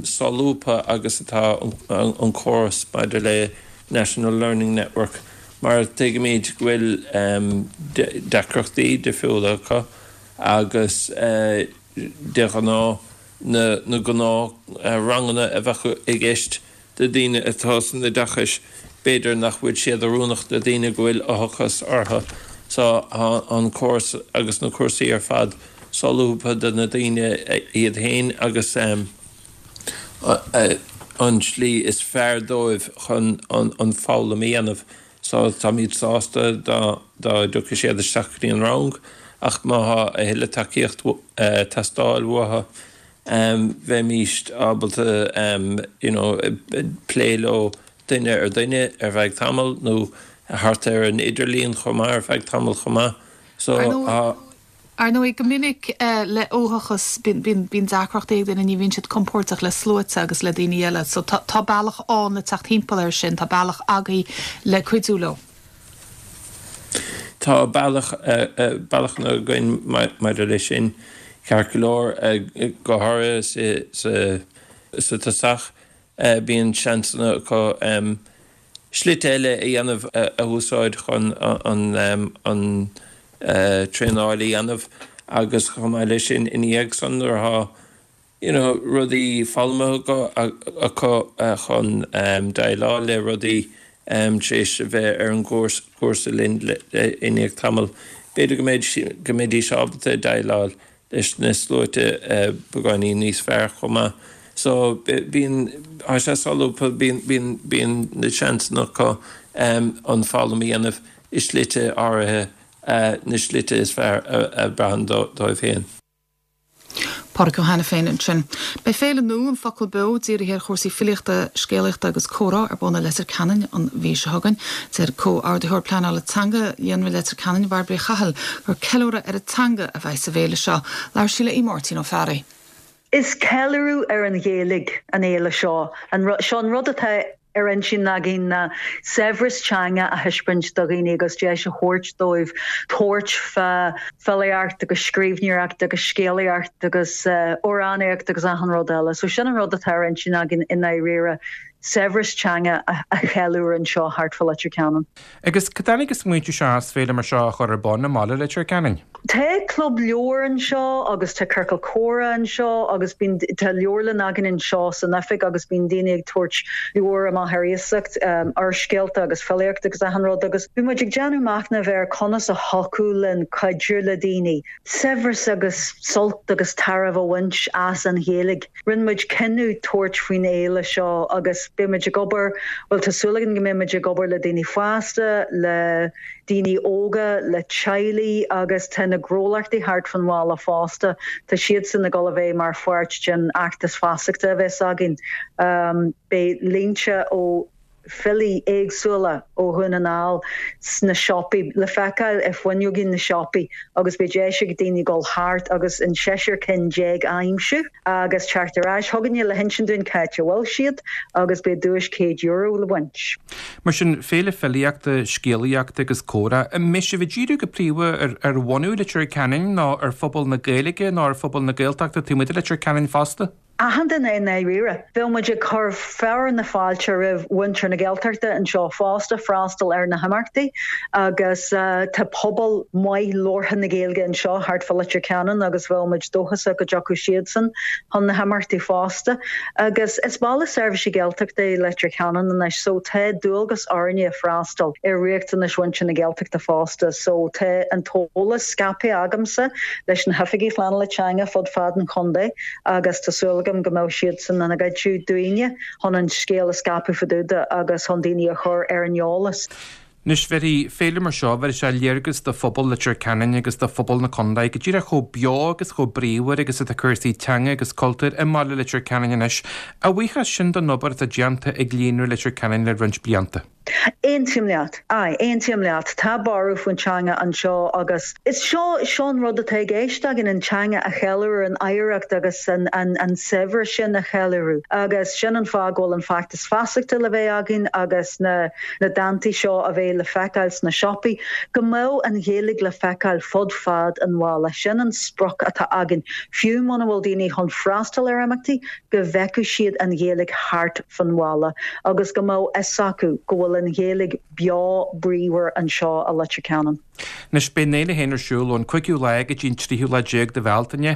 solúbtha agus atá an córas maidir le National Learning Network mar tuigimid go bhfuil deacrachtaí difriúla acu agus de ghnáth na gnáth ranganna a bheadh i gceist do daoine atá san oideachais b'fhéidir nach bhfuil siad oiriúnach do daoine go bhfuil uathachas orthu. So tá an córas agus na cúrsaí ar fad solúbtha do na daoine iad féin agus an tslí is fearr dóibh chun an foghlaim a dhéanamh. So táimid sásta dá dtiocfaidh siad isteach go dtí an rang ach má thá a thuilleadh tacaíocht teastáil uathu bheimíst ábalta you know plé leo duine ar duine ar feadh tamaill nó thart ar an idirlíon chomh maith ar feadh tamaill chomh maith. So tá. Ar ndóigh, go minic le uathachas, bíonn deacrachtaí ag daoine, ní bhíonn siad compordach le sluaite agus le daoine eile. So tá bealach ann le teacht thimpeall air sin, tá bealach agaibh le cuidiú leo. Tá bealach, bealachanna againn maidir leis sin. Ceart go leor, go háirithe sa tosach, bíonn seansanna acu slite eile a dhéanamh a úsáid chun an traenáil a dhéanamh agus chomh maith leis sin ina dhiaidh san nuair atá you know rudaí foghlamtha acu chun déileáil le rudaí tar éis a bheith ar an gcúrsa linn i ndiaidh tamaill b'fhéidir go mbeidh go mbeidís ábalta déileáil leis na sluaite beagáinín níos fearr chomh maith. So bíonn, tá sé solúbtha, bíonn, bíonn, bíonn na seansanna acu an foghlaim a dhéanamh i slite áirithe, na slite is fearr a braitheann dóibh féin. Pádraig Ó hAiniféin ansin. Beidh féile nua, An Focal Beo, dírithe ar chúrsaí filíochta, scéalaíochta agus comhrá ar bun i Leitir Ceanainn an mhí seo chugainn. Deir Comhordaitheoir Pleanála Teanga Líonra Leitir Ceanainn, Bairbre Uí Chathail, gur ceiliúradh ar an teanga a bheidh sa bhféile seo. Labhair sí le Aodh Máirtín Ó Fearraigh. Is ceiliúradh ar an Ghaeilge an fhéile seo. Seo an rud atá ar intinn againn ná saibhreas teanga a thaispeáint do dhaoine agus deis a thabhairt dóibh tabhairt fá filíocht agus scríbhneoireacht agus scéalaíocht agus amhránaíocht agus achan rud eile. So sin an rud atá ar intinn againn i ndáiríre, saibhreas teanga a cheiliúradh anseo thart fá Leitir Ceanainn. Agus cá dtáinig an smaointiú seo as féile mar seo a chur ar bun i mbaile Leitir Ceanainn? Tá club leabhar anseo agus tá ciorcal comhrá anseo agus bíonn, tá leabharlann againn anseo san oifig agus bíonn daoine ag tabhairt leabhair amach ar iasacht, úrscéalta agus filíocht agus achan rud agus bhí muid ag déanamh machnaimh ar conas a thiocfadh linn cuidiú le daoine saibhreas agus sult agus tairbhe a bhaint as an Ghaeilge. Rinne muid cinneadh tabhairt faoin fhéile seo agus beidh muid ag obair, bhuel tá súil againn go mbeidh muid ag obair le daoine fásta, le daoine óga, le teaghlaigh agus tá na gnólachtaí thart fán bhaile fosta, tá siadsan ag dul a bheith mar pháirt den fheachtas feasachta a bheas againn. Beidh línte ó. filí éagsúla ó Dhún na nGall sna siopaí, le feiceáil ar fuinneogaí na siopaí agus beidh deis ag daoine dul thart agus an seisear cinn déag a aimsiú agus teacht ar ais chugainne le hinsint dúinn cá háit a bhfuil siad agus beidh duais €100 le baint. Mar sin, féile filíochta, scéalaíochta agus comhrá. An mbeidh sibh ag díriú go príomha ar bhunadh Leitir Ceanainn nó ar phobal na Gaeilge nó ar phobal na Gaeltachta taobh amuigh de Leitir Ceanainn fosta? Achan duine i ndáiríre. Bheadh muid ag cur fearadh na fáilte roimh mhuintir na Gaeltachta anseo fosta freastal ar na himeachtaí agus tá pobal maith labhartha na Gaeilge anseo thart fá Leitir Ceanainn agus bheadh muid dóchasach go dtiocfadh siadsan chun na himeachtaí fosta. Agus is baile seirbhísí Gaeltachta é Leitir Ceanainn anois so tá dualgas orainne freastal ar riachtanais mhuintir na Gaeltachta fosta so tá an t-eolas scaipthe agamsa leis na hoifigigh phleanála teanga fud fad an chontae. agus tá súil agam go mbeidh siadsan ina gcuidiú dúinne chun an scéal a scaipeadh fá dtaobh de agus chun daoine a chur ar an eolas. Anois, bhéarfaidh féile mar seo, bhéarfaidh sé léargas do phobal Leitir Ceanainn agus do phobal na contae go díreach chomh beo agus chomh bríomhar agus atá cúrsaí teanga agus cultúir i mbaile Leitir Ceanainn anois, a bhuíochas sin don obair atá déanta ag Líonra Leitir Ceanainn le roinnt blianta. Aontaím leat. Aye, aontaím leat. Tá borradh faoin teanga anseo agus is seo, seo an rud atá i gceist againn, an teanga a cheiliúradh, an oidhreacht agus an, an, an saibhreas sin a cheiliúradh. Agus sin an fáth go bhfuil an feachtas feasachta le bheith againn agus na, na dántaí seo a bheidh le feiceáil sna siopaí, go mbeadh an Ghaeilge le feiceáil fud fad an bhaile. Sin an sprioc atá againn. Fiú muna bhfuil daoine chun freastal ar imeachtaí, go bhfeicfeadh siad an Ghaeilge thart fan bhaile agus go mbeadh fhios acu go bhfuil an Ghaeilge beo bríomhar anseo i Leitir Ceanainn. Anois, beidh an fhéile féin ar siúl ón 5ú lá go dtí an tríú lá déag de Bhealtaine,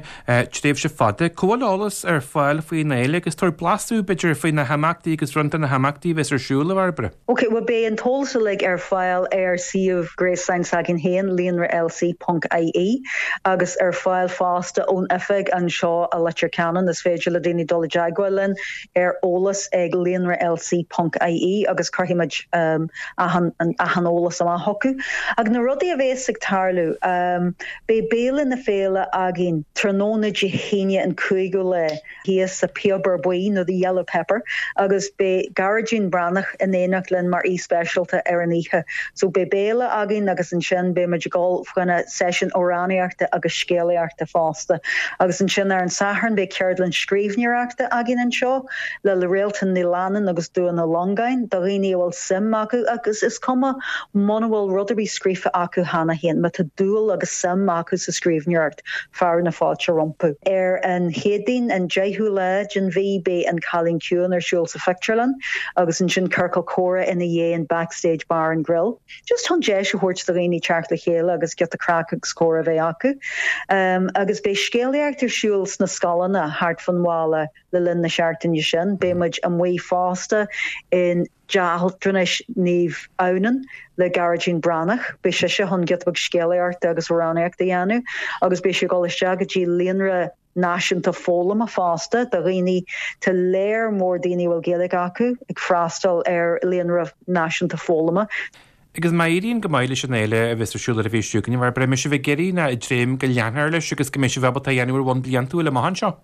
tréimhse fada. Cá bhfuil eolas ar fáil faoin fhéile agus tabhair blaiseadh, b'fhéidir, faoi na himeachtaí agus roinnt de na himeachtaí a bheas ar siúl, a Bhairbre. Ok, bhuel beidh an t-eolas uilig ar fáil ar suíomh gréasáin s'againn féin, líonralc ponc ie, agus ar fáil fosta ón oifig anseo i Leitir Ceanainn. Is féidir le daoine dul i dteagmháil linn ar eolas ag líonralc ponc ie agus cuirfidh muid achan achan eolas amach chucu. Ach na rudaí a bhéas ag tarlú, beidh béile na féile againn tráthnóna Dé hAoine an cúigiú lá. thíos sa Phiobar Buí nó The Yellow Pepper agus beidh Gearóidín Breathnach in éineacht linn mar aoi speisialta ar an oíche. So beidh béile againn agus ansin beidh muid ag dul fá choinne seisiún amhránaíochta agus scéalaíochta fosta. Agus ansin ar an Satharn beidh ceardlann scríbhneoireachta againn anseo le Réaltán Ní Leannáin agus Dúin Ó Longáin do dhaoine a bhfuil suim acu agus is cuma muna bhfuil rud ar bith scríofa acu. acu cheana féin, má tá dúil agus suim acu sa scríbhneoireacht, fearadh na fáilte rompu. Ar an Chéadaoin, an 10ú lá den mhí, beidh An Cailín Ciúin ar siúl sa phictiúrlann agus ansin ciorcal comhrá ina dhiaidh in Backstage Bar and Grill. Just chun deis a thabhairt do dhaoine teacht le chéile agus giota craic agus comhrá a bheith acu. Agus beidh scéalaíocht ar siúl sna scoileanna thart fán bhaile le linn na seachtaine sin. Beidh muid amuigh fosta in Teach Altranais Naomh Adhamhnáin le Gearóidín Breathnach. Beidh sise chun giota beag scéalaíochta agus amhránaíochta a dhéanamh agus beidh sí ag dul isteach go dtí líonra náisiúnta foghlama fosta do dhaoine, tá léar mór daoine a bhfuil Gaeilge acu ag freastal ar líonra náisiúnta foghlama. Agus má éiríonn go maith leis an fhéile a bheas ar siúl ar an bhfiche seo chugainn, an mbeidh sibh ag iarraidh nó ag dréim go leanfar leis agus go mbeidh sibh ábalta é a dhéanamh ar bhonn bliantúil amach anseo?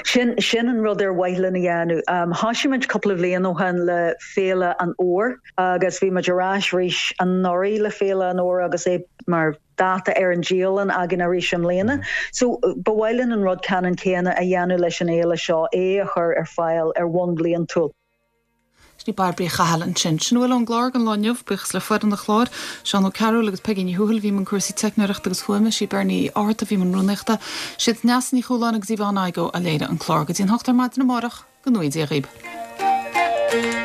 Sin, sin an rud ar mhaith linn a dhéanamh. Thosaigh muid cúpla bhliain ó shin le Féile an Fhómhair agus bhí muid ar ais arís anuraidh le Féile an Fhómhair agus é mar dáta ar an dialann againn arís i mbliana. So, ba mhaith linn an rud ceannann céanna a dhéanamh leis an fhéile seo, é a chur ar fáil ar bhonn bliantúil. Sin í Bairbre Uí Chathail ansin. Sin a bhfuil ón gclár don lá inniu. Buíochas le foireann an chláir, Seán Ó Cearúil agus Peigí Ní Thuathail a bhí i mbun cúrsaí teicneoireachta agus fuaime, sí Bernie Uí Fhátharta a bhí i mbun rúnaíochta, siad Neasa Ní Chualáin agus Yvonne Igoe a léirigh an clár. Go dtí an hocht ar maidin amárach, go ngnóthaí Dia dhaoib.